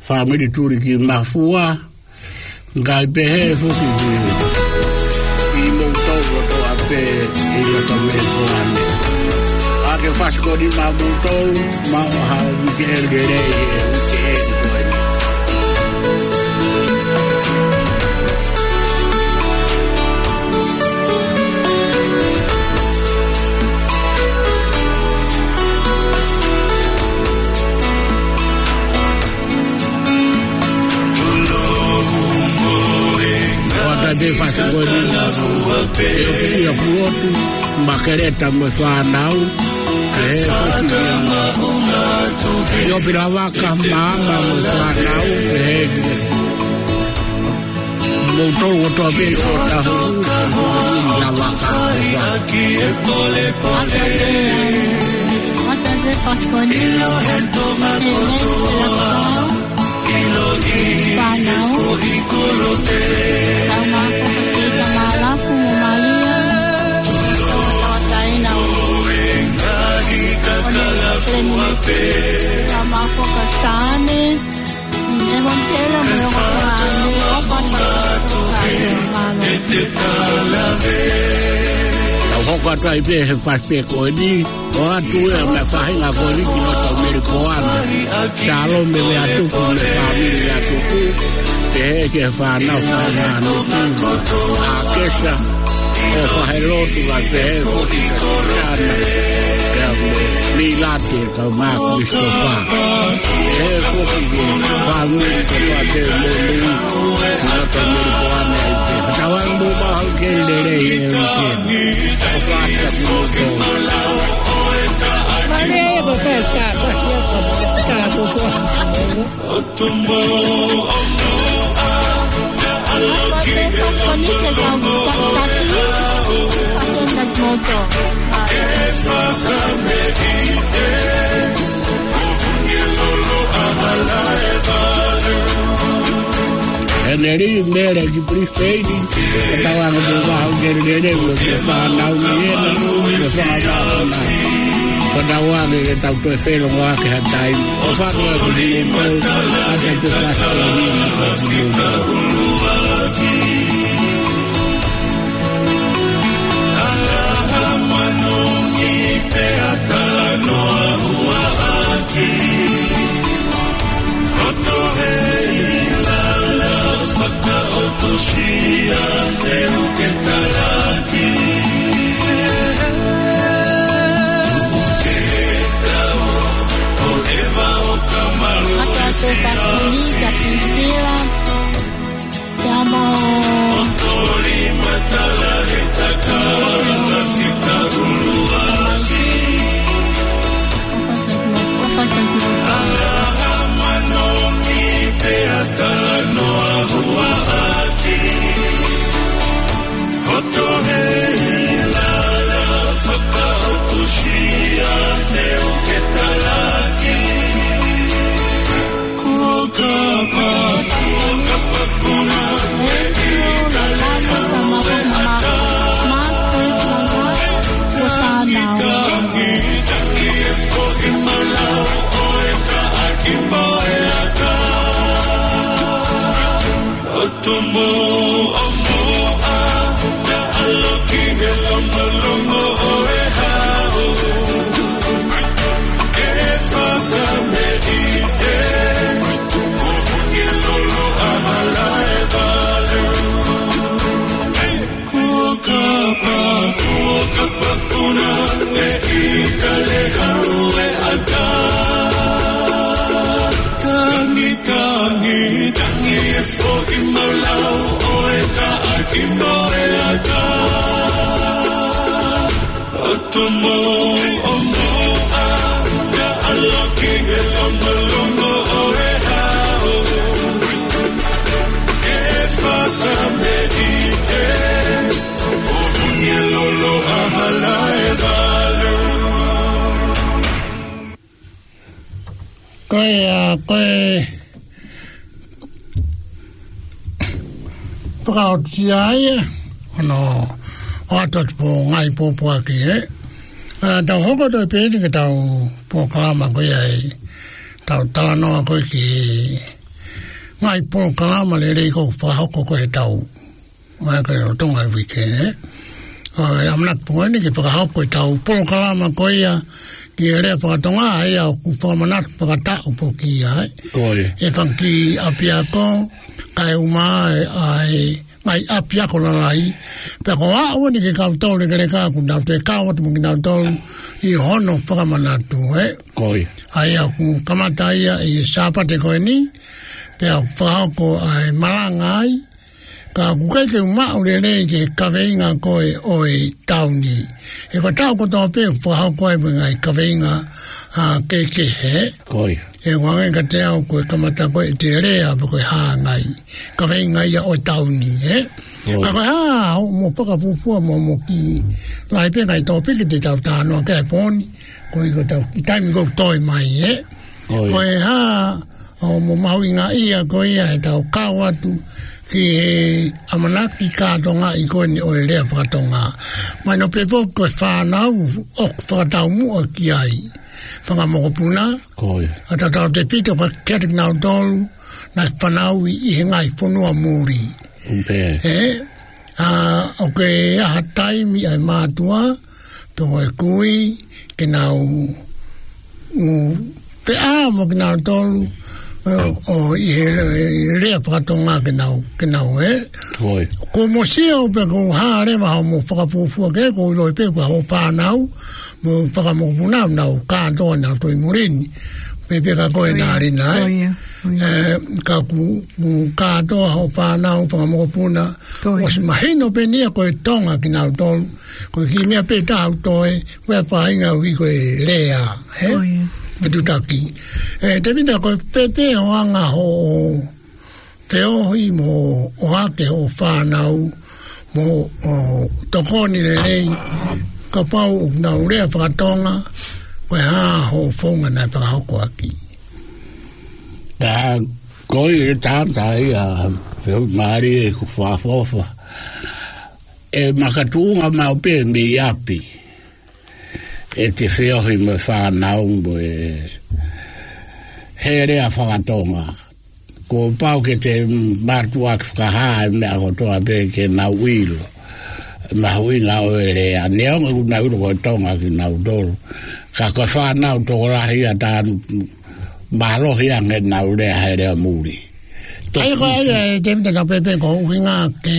fāmili Tulikimafua, kae pehē foki ki, kimoutolu kotoa pē ʻi loto Melipoane. ʻA ke fasi ko eni maʻamoutolu, maʻu ha uike lelei he uike ko eni. ʻOatu e fasi ko eni, ʻe ʻosi ʻa Pulotu, Makeleta mo e fānau, ʻe ʻosi ia. ʻIo Pilavaka, Maama mo e fānau, ʻe ʻi ai kimoutolu kotoa pē ʻi Otahuhu, Pilavaka, ʻofa. ʻOatu e, ʻoatu e fasi ko eni, ʻe ʻi ai e fānau. Tau mako ka kita Malafu mo Malia. Tau taina o. One Fleming. Tau mako ka Sane. Evan Taylor mo e ongo tama ni. ʻOfa atu. Tau hoko atu ai pē he fasi pē ko eni. ʻOatu e meʻa faʻahinga ko eni ki loto Melipoane. Salome Leatupu mo e fāmili Leatupu. Pehē ki he fānau, fānau Nuku, ʻAkesa, ʻo fai e lotu kae pehē foki kia Sana, pea mo Lilate, kae ʻumaʻā Christopher. Pehē foki ki he fāmili kotoa pē Melu, ki loto Melipoane ai pē. Ka tau ʻalu ʻo maʻu ha uike lelei he uike ni. ʻOfa atu kimoutolu. Maria ia ko e pē ka, ka sia ka, ka ko ko. Heneli Mele ki Brisbane, ka tau ʻalu ʻo maʻu ha uike lelei mo e fānau ni ena, mo e fānau na. Ka tau ʻalu ke tau toe feʻiloaki ha taimi. ʻOfa atu kimoutolu, ʻa e te fasi ko eni maʻamoutolu. Atu atu e fasi ko eni kia Priscilla. Te amo. Moʻomoʻa, ka ʻaloki he longolongo ʻo e hao. Ke fakameʻite, ʻo huni e lolo ʻa Halaevalu. Kuo kapa, kuo kapa puna, e ʻita le hau e ʻata. Tangi, tangi, tangi e foʻi malau ʻo e taʻaki mo e ata. ʻOtu moʻomoʻa, ka ʻaloki he longolongo ʻo e hao. Ke fakameʻite, ʻo huni e lolo ʻa Halaevalu. Ko ia, ko e fakaʻotua ia, ʻo hono ʻoatu atu pō ngaahi pōpoaki, ē. ʻA, tau hoko atu pē eni ki heʻetau polokalama ko ia ʻi heʻetau talanoa ko ē ki he ngaahi polokalama lelei ʻoku fakahoko ko ē heʻetau ʻa e ka o Tonga e uike, ē. ʻA e ʻamanaki pē ko eni ke fakahoko ʻetau polokalama ko ia ki he lea fakatonga, ʻa ia ʻoku fakamanatu fakataʻu foki ia, ē. Ko ia. ʻI he fanga kiʻi ʻapiako, kae ʻumaʻā ʻa e, ʻa e ngaahi ʻapiako lalahi. Pea ko e ʻuhinga eni ki he kau taulekeleka, ʻoku nau toe kau atu mo kinautolu ʻi hono fakamanatu, ē. Ko ia. ʻA ia ʻoku kamata ia ʻi he Sāpate ko eni, pea ʻoku fakahoko ʻa e malanga ai, ka ʻoku ʻikai ke u maʻu lelei ki he kaveinga ko ē ʻo e taʻu ni. He ko e taʻu kotoa pē ʻoku fakahoko ai mo e ngaahi kaveinga, ʻa, kehekehe. Ko ia. ʻE ʻoange kiate au ko e kamata ko ē ʻete lea pe ko e hā e ngaahi kaveinga ia ʻo e taʻu ni, ē? Ko ia. Ka ko e hā hoʻomo fakafuofua mo hoʻomo kiʻi lahi pē ngaahi tōpiki te tau talanoa ki ai he pō ni, koeʻuhi ko ʻetau kiʻi taimi ʻoku toe mai, ē? Ko ia. Ko e hā hoʻomo mahuʻingaʻia ko ia heʻetau kau atu ki he ʻamanaki kātoangaʻi ko eni ʻo e lea fakatonga. Mahino pē foki ko e fānau ʻoku fakataumuʻa ki ai. Fanga mokopuna. Ko ia. ʻA tautefito kiate kinautolu naʻe fanauʻi ʻi he ngaahi fonua muli. ʻUmpe. Ē, ʻa, ʻoku ʻi ai ha taimi ʻa e mātuʻa, pe ko e kui, ke nau, ʻū, feʻao mo kinautolu, ʻo, ʻo ʻi he le-, lea fakatonga ke nau, ke nau, ē. Ko ia. Ko hoʻomo sio pē ko e hā leva hoʻomo fakafuofua ki ai, ko e ʻilo pē ko hoʻo fānau, mo e fanga mokopuna, nau kātoa nau toe muli ni. Pehē pē ka ko e, ko ia, nā Lina, ko ē. Ia, ko ia. Ē, ka ʻoku, ʻoku kātoa hoʻo fānau, fanga mokopuna. Ko ia. ʻOsi mahino pē eni ia ko e Tonga kinautolu. Ko e kiʻi meʻa pē taha ʻoku toe, ko e faʻahinga ʻuhi ko e lea, ē? Ko ia. Fetuʻutaki. Ē, Tēvita, ko e pehē pē hoʻo anga hoʻo feohi mo ʻohake hoʻo fānau, mo hoʻo tokoni lelei, kapau ʻoku nau lea fakatonga, ko e hā hoʻo founga naʻe fakahoko ʻaki. ʻA, ko e tangata ia, feohi mālie ʻeku fakaʻofoʻofa. ʻE makatuʻunga maʻu pē mei ʻapi ʻete feohi mo e fānau mo e, he lea fakatonga. Kuo pau ke te mātuʻaki fakahā e meʻa kotoa pē ke nau ʻilo mahuʻinga ʻo e lea. Neongo ʻoku nau ʻilo ko e Tonga kinautolu, ka ko e fānau tokolahi ia talu mālohi ange ʻenau lea he lea muli. ʻA ia ko e, ʻa ia, Tēvita, ka pehē pē ko e ʻuhinga ke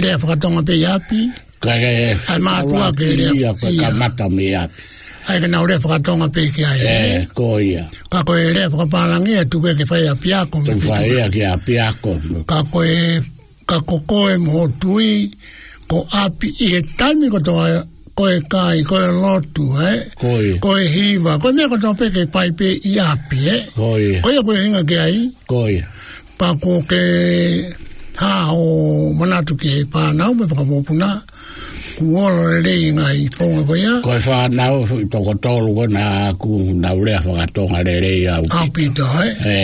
lea fakatonga pē ʻi ʻapi. Ka ke ʻai mātuʻa ke lea, ia ko e, ia, kamata mei ʻapi. ʻAi ke nau lea fakatonga pē ki ai, ē? Ē, ko ia. Ka ko e lea fakapālangi ʻe tuku ke fai ʻapiako. Tuku fai ia ki ʻapiako. Ka ko e, ka ko koe mo hoʻo tui, ko ʻapi ʻi he taimi kotoa, ko e kai, ko e lotu, ē? Ko ia. Ko e hiva, ko e meʻa kotoa pē ke fai pē ʻi ʻapi, ē? Ko ia. Ko ia ko e ʻuhinga ki ai. Ko ia. Pea kuo ke hā hoʻo manatu ki he fānau mo e fanga mokopuna, kuo ola lelei ngaahi founga ko ia. Ko e fānau toko tolu ko ena ʻoku nau lea fakatonga lelei ʻaupito. ʻAupito, ē? Ē.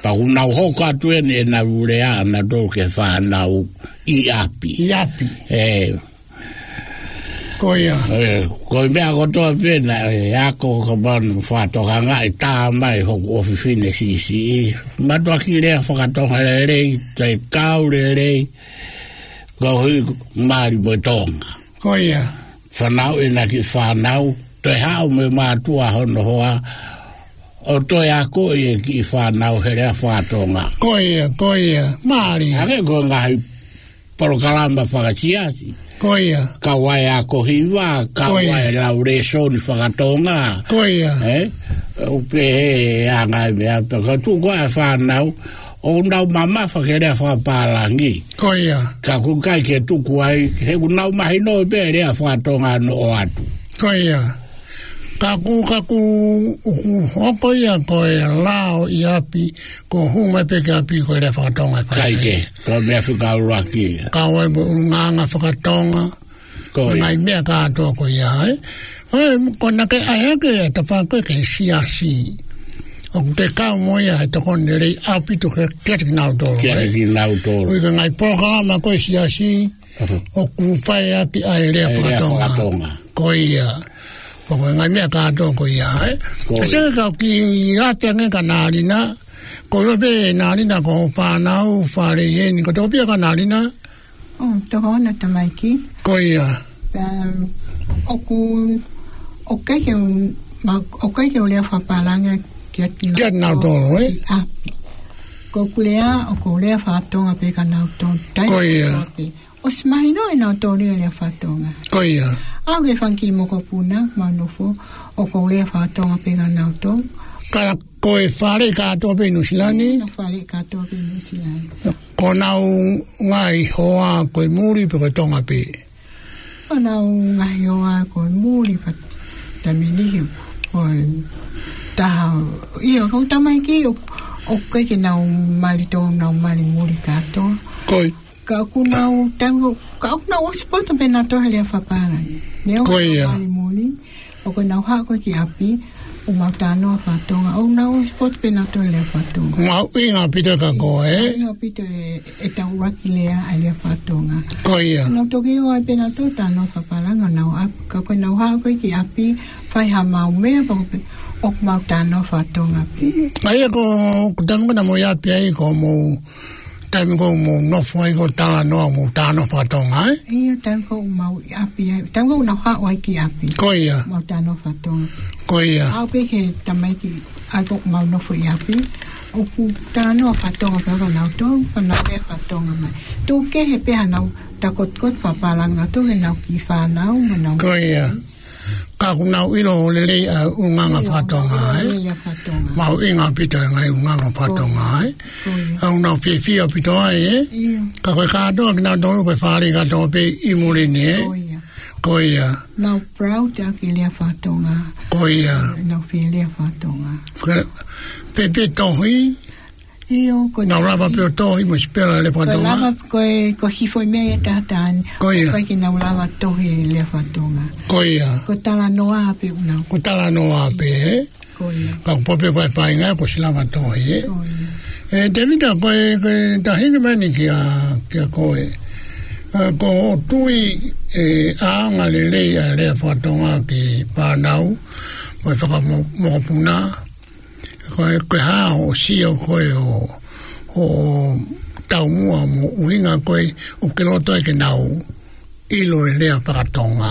Pea ʻoku nau hoko atu eni ʻenau lea ʻanautolu ki he fānau ʻi ʻapi. ʻI ʻapi. Ē. Ko ia. ʻE, ko e meʻa kotoa pē naʻe ako ka manu fakatokangaʻi tā mai hoku ʻofefine siʻisiʻi. Mātuʻaki lea fakatonga lelei, toe kau lelei, koeʻuhi mali mo e Tonga. Ko ia. Fanauʻi ʻena kiʻi fānau, toe haʻu mo e mātuʻa hono hoa, ʻo toe akoʻi e kiʻi fānau he lea fakatonga. Ko ia, ko ia. Mali. Hangē ko e ngaahi polokalama fakasiasi. Ko ia. Kau ai ako hiva, kau Ko ia. ai lau lēsoni fakatonga. Ko ia. ʻE? ʻO pehē ʻa e ngaahi meʻa, pea ka tuʻu ko ē ʻa e fānau, ʻoku nau mamafa ke lea fakapālangi. Ko ia. Ka ʻoku ʻikai ke tuku ai, he ʻoku nau mahinoʻi pē lea fakatonga noa atu. Ko ia. Ka ʻoku, ka ʻoku, ʻoku hoko ia ko e lao ʻi ʻapi, ko e hū mai pē ki ʻapi ko e lea fakatonga ʻe fai. ʻIkai ke, ko e meʻa fika ʻuluaki. Kau ai mo e ʻulungaanga fakatonga, Ko ia. ngaahi meʻa kātoa ko ia, ē? ʻOi, ko ena ke ʻai hake ʻa e tafaʻaki ko ē ki he siasi. ʻOku te kau mo ia he tokoni lelei ʻaupito ke, kiate kinautolu, Kiate ē? kinautolu. ʻOi, ko e ngaahi polokalama ko ē siasi, ʻoku fai ʻaki ʻa e lea ʻA e lea fakatonga. fakatonga. Ko ia. Pea ko e ngaahi meʻa kātoa ko ia, ē? Ko ia. Ka sio ki he kau kiʻi late ange kia Nalina, ko e pē Nalina ko e fānau, fale ʻi heni, ko e toko fiha kia Nalina? ʻO, toko ono tamaiki. Ko ia. Pea, ʻoku, ʻoku ʻikai ke u, ma, ʻoku ʻikai ke u lea fakapālangi kiate kinautolu, ē? ʻi ʻapi. Ko ʻeku lea, ʻoku ou lea fakatonga pē kia nautolu. Taimi Ko ia. kotoa pē. ʻOsi mahino ʻe nautolu e lea fakatonga. Ko ia. ʻAu ki he fanga kiʻi mokopuna, mau nofo, ʻoku ou lea fakatonga pē kia nautolu. Ka ko e fale kātoa pē ʻi Nuʻusila ni? Ko e fale kātoa pē ʻi Nuʻusila ni. Ko honau ngaahi hoa ko e muli pe ko e Tonga pē? Ko honau ngaahi hoa ko e muli pē taimi ni he ko e taha. ʻIo, ko e tamaiki ʻo, ʻoku ʻikai ke nau mali tō, nau mali muli kātoa. Ko ia. Ka ʻoku nau tau, ka ʻoku nau ʻosi poto pē nautolu he lea fakapālangi. Neongo Ko ia. nau mali muli, ʻoku nau haʻu ko ē ki ʻapi, ʻo mau talanoa fakatonga, ʻoku nau ʻosi poto pē nautolu he lea fakatonga. Mahuʻinga ʻaupito kia koe, ē? Mahuʻinga ʻaupito e, ʻetau ʻuluaki lea ʻa e lea fakatonga. Ko ia. Nau toki ō ai pē nautolu talanoa fakapālangi ʻo nau ʻapi, ka ko ʻenau haʻu ko ē ki ʻapi, fai ha mau meʻa pē, ʻoku mau talanoa fakatonga pē. ʻA ia ko, ko e taimi ko ē naʻa mou ʻi ʻapi ai ko hoʻomou taimi ko ē ʻoku mou nofo ai ko e talanoa, mou talanoa fakatonga, ē? ʻIo, taimi ko ē ʻoku mau ʻi ʻapi ai, taimi ko ē ʻoku nau haʻu ai ki ʻapi. Ko ia. Mau talanoa fakatonga. Ko ia. ʻAu pē ki he tamaiki, ʻa ia ko ē ʻoku mau nofo ʻi ʻapi, ʻoku talanoa fakatonga pē ʻa nautolu, pea nau lea fakatonga mai. Tuku kehe pē haʻanau takoto fakapālangi atu ki heʻenau kiʻi fānau, mo ʻenau Ko ia. Ka ʻoku nau ʻilo lelei ʻa e ʻulungaanga ʻIo, fakatonga, ʻilo ē? lelei ʻa e fakatonga. Mahuʻinga ʻaupito e ngaahi ʻulungaanga fakatonga, Ko ia. ē? Ko ia. ʻOku nau fiefia ʻaupito ai, ē? ʻIo. Ka ko e kātoa kinautolu ko e fale kātoa pē ʻi muli ni, ē? Ko ia. Ko ia. Nau proud ʻaki e lea fakatonga. Ko ia. Nau fie lea fakatonga. Ko e, pē, pē tohi, ʻIo, ko e Nau lava pē ʻo tohi mo sipela lea fakatonga. Ko e lava, ko e, ko e hifo e meʻa ʻi he taʻataʻa ni. Ko ia. ʻOku ʻikai ke nau lava tohi e lea fakatonga. Ko ia. Ko e talanoa pē ʻoku nau. Ko e talanoa pē, ē? Ko ia. Ka ʻoku pau pē ko e feinga, kuo ʻosi lava tohi, ē? Ko ia. ʻE, Tēvita, ko e, ko e taʻu hiki mai eni kia, kia koe. ʻE, ko hoʻo tui, ʻe, ʻa e anga lelei ʻa e lea fakatonga ki he fānau, mo e fakamokopuna, Ko e, ko e hā hoʻo sio ko ē ʻo, ʻo taumuʻa mo e ʻuhinga ko ē ʻoku ke loto ai ke nau ʻilo e lea fakatonga.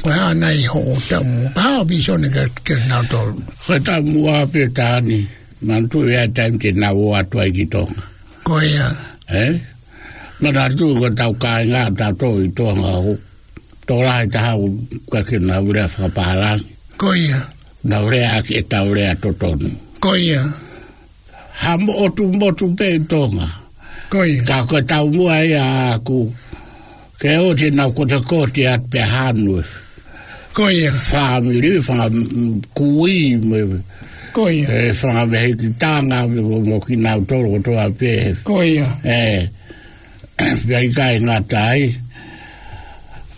Ko e hā nai hoʻo taumuʻa, ko e hā hoʻo visone ke, ke nau tolu. Ko e taumuʻa pē taha ni, manatuʻi ʻa e taimi te nau ō atu ai ki Tonga. Ko ia. Ē? Manatuʻi ko ʻetau kāinga, tautolu ʻi Tonga ʻoku tokolahi taha ʻoku ʻikai ke nau lea fakapālangi. Ko ia. Nau lea ʻaki ʻetau lea totonu. Ko ia. Ha motu motu pē ʻi Tonga. Ko ia. Ka ko e taumuʻa ia ʻaʻaku, ke ʻoua te nau kotekote atu pē hanu e Ko ia. fāmili, fanga, mm, kui, mo e, Ko ia. e, fanga mehikitanga, mo, mo kinautolu kotoa pē. Ko ia. ʻE, pea ʻikai ngata ai.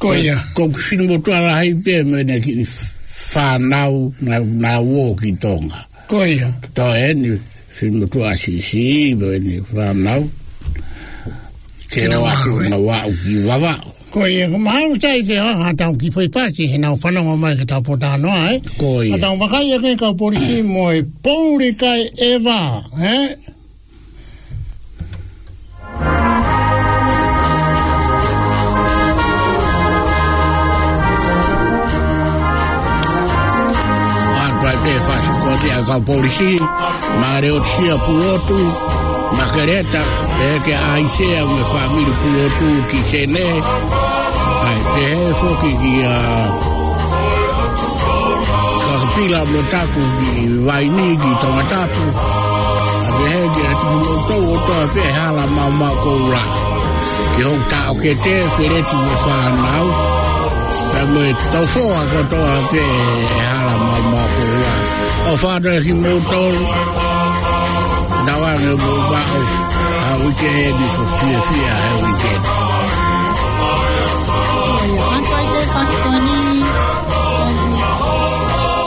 Ko ia. Ko e kiʻi finemotuʻa lahi pē mo ʻene kiʻi fānau naʻa, naʻa nau ō ki Tonga. Ko ia. Toe eni finemotuʻa siʻisiʻi mo ʻene fānau. Ke Ke nau ō atu aʻu, ē? nau aʻu ki Vavaʻu. Ko ia, ko mahalo sai ke ʻi ai ha tau kiʻi foʻi fasi he naʻa nau fanongo mai ki he tau pōtalanoa, ē? Ko ia. Ka tau vakai ʻa e kau polisi mo e pouli kai ʻeva, ē? ʻA, pea pehē fasi ko ia ʻa e kau polisi, Maleotia Pulotu, Makeleta, ʻe ke ʻAisea mo e fāmili Pulotu ki Sene. ʻAi, pehē foki kia Kakapila mo Taku ki Vaini ki Tongatapu. ʻA, pehē kia kimoutolu kotoa pē ʻi he hala maumau koula. Ki hoku taʻokete, Feleti mo e fānau. Pea mo e tofoa kotoa pē ʻi he hala maumau koula. ʻOfa atu kia kimoutolu. Tauange mou maʻu ha uike ni ko fiefia he uike ni. ʻIo, ʻa e fai pē fasi ko eni.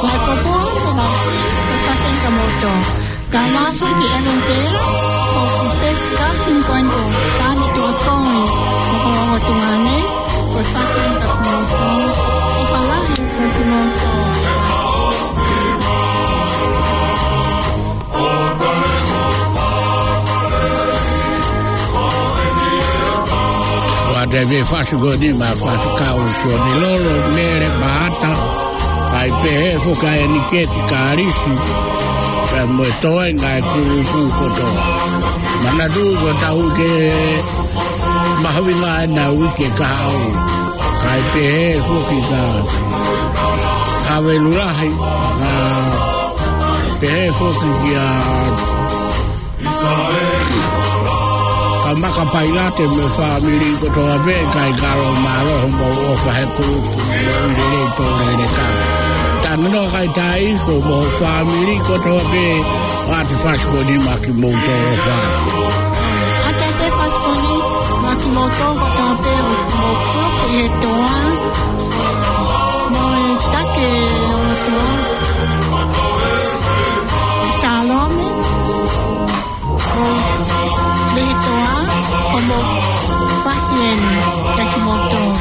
Mai ko pua, ko mau si, ko fasi ka moto. Ka masu ki Evangelo, ko ku pesi ka singkuen ko, sani tua kong, ko ko ko tuane, ko fasi ka moto, ko falahi ka moto. ʻOatu pē fasi ko eni maʻa Faifekau Sione Lolo, Mele Maata, ʻai pehē foki ʻa ʻEniketi Kalisi, pea mo e toenga ʻo e kulupu kotoa. Manatu ko e tau ke mahuʻinga ʻena uike kahaʻu. ʻAi pehē foki kia Havelu Lahi, ʻa, pehē foki kia Kamaka Pailate mo e fāmili kotoa pē, kai kalo mālō hoʻomou ʻofa he kulupu, mo e lelei tō lele ka. Tanu no kai tai fo mo e fāmili kotoa pē, ʻoatu fasi ko eni maʻa kimoutolu ʻofa. ʻOatu pē fasi ko eni maʻa kimoutolu kotoa pē, mo e kulupu ʻi he toa, mo e take ʻo e toa. Salome. Mo e lehetoa, ko mo fasi eni, kia kimoutolu.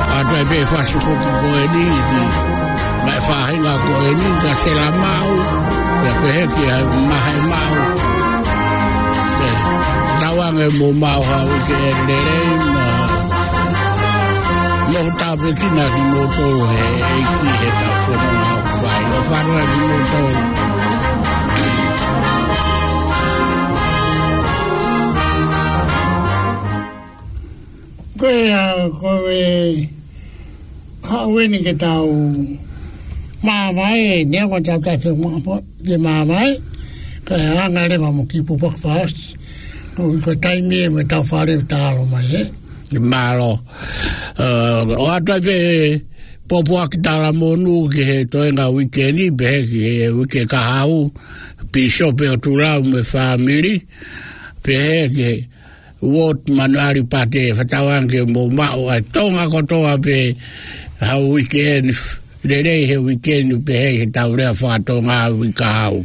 ʻOatu pē fasi foki ko eni ki, maʻa e faʻahinga ko eni kia Sela Maʻu, pea pehē kia Mahe Maʻu. Pea tauange mou maʻu ha uike lelei mo, mo tāpuekina kimoutolu he ʻEiki he tau fononga ʻoku fai. ʻOfa atu kia kimoutolu. Ko ia, ko e haʻu eni ke tau māvae, neongo ʻa e tau tafe mapo, ke māvae, ka ʻe anga leva mo ki pupok fast, ko, ko e taimi ē mo e tau fale ʻo talo mai, ē. Mālō. Ē, ʻoatu pē pōpoaki talamonū ki he toenga uike ni, pehē ki he uike kahaʻu, Pīsope ʻOtulau mo e fāmili, pehē ki he Ward Manuali Pate, fakatauange ke mou maʻu ʻa e Tonga kotoa pē ha uike ni, lelei he uike ni pehē he tau lea faka-Tonga uike kahaʻu.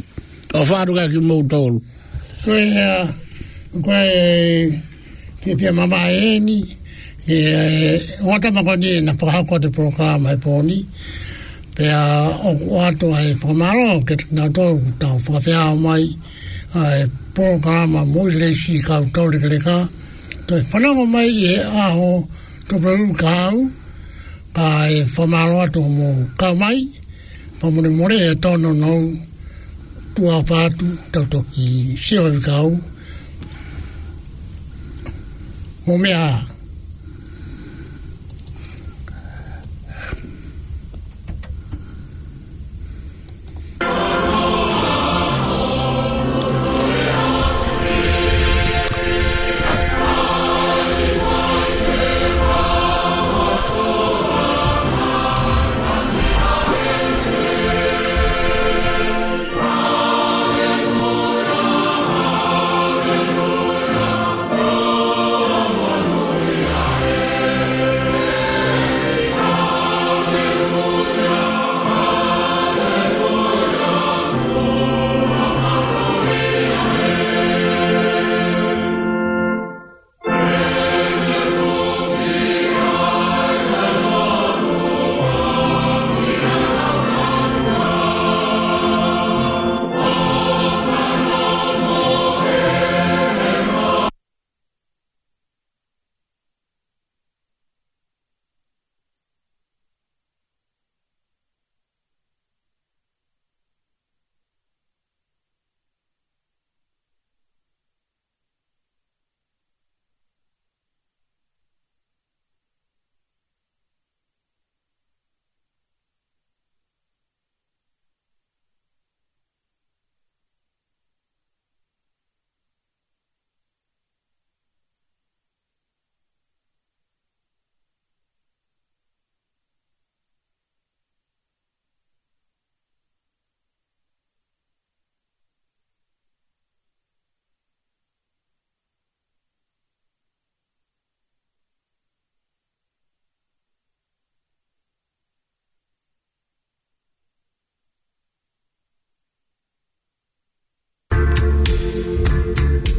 ʻOfa atu kia kimoutolu. Ko ia, ko e, ke pia mama eni, ʻe, ʻoatu makoni ʻena fakahoko atu e polokalama he pō ni. Pea ʻoku ʻoatu ʻa e fakamālō kiate kinautolu ʻoku tau fakafeʻao mai ʻa e polokalama mo e leisi kau tau lekeleka. Toe fanongo mai ʻi he ʻaho tupu kahaʻu, kae fakamālō atu hoʻomou kau mai, fakamolemole ʻe tōnounou tuʻa ʻofa atu, tau toki sio ʻi he kau. Mo meʻa.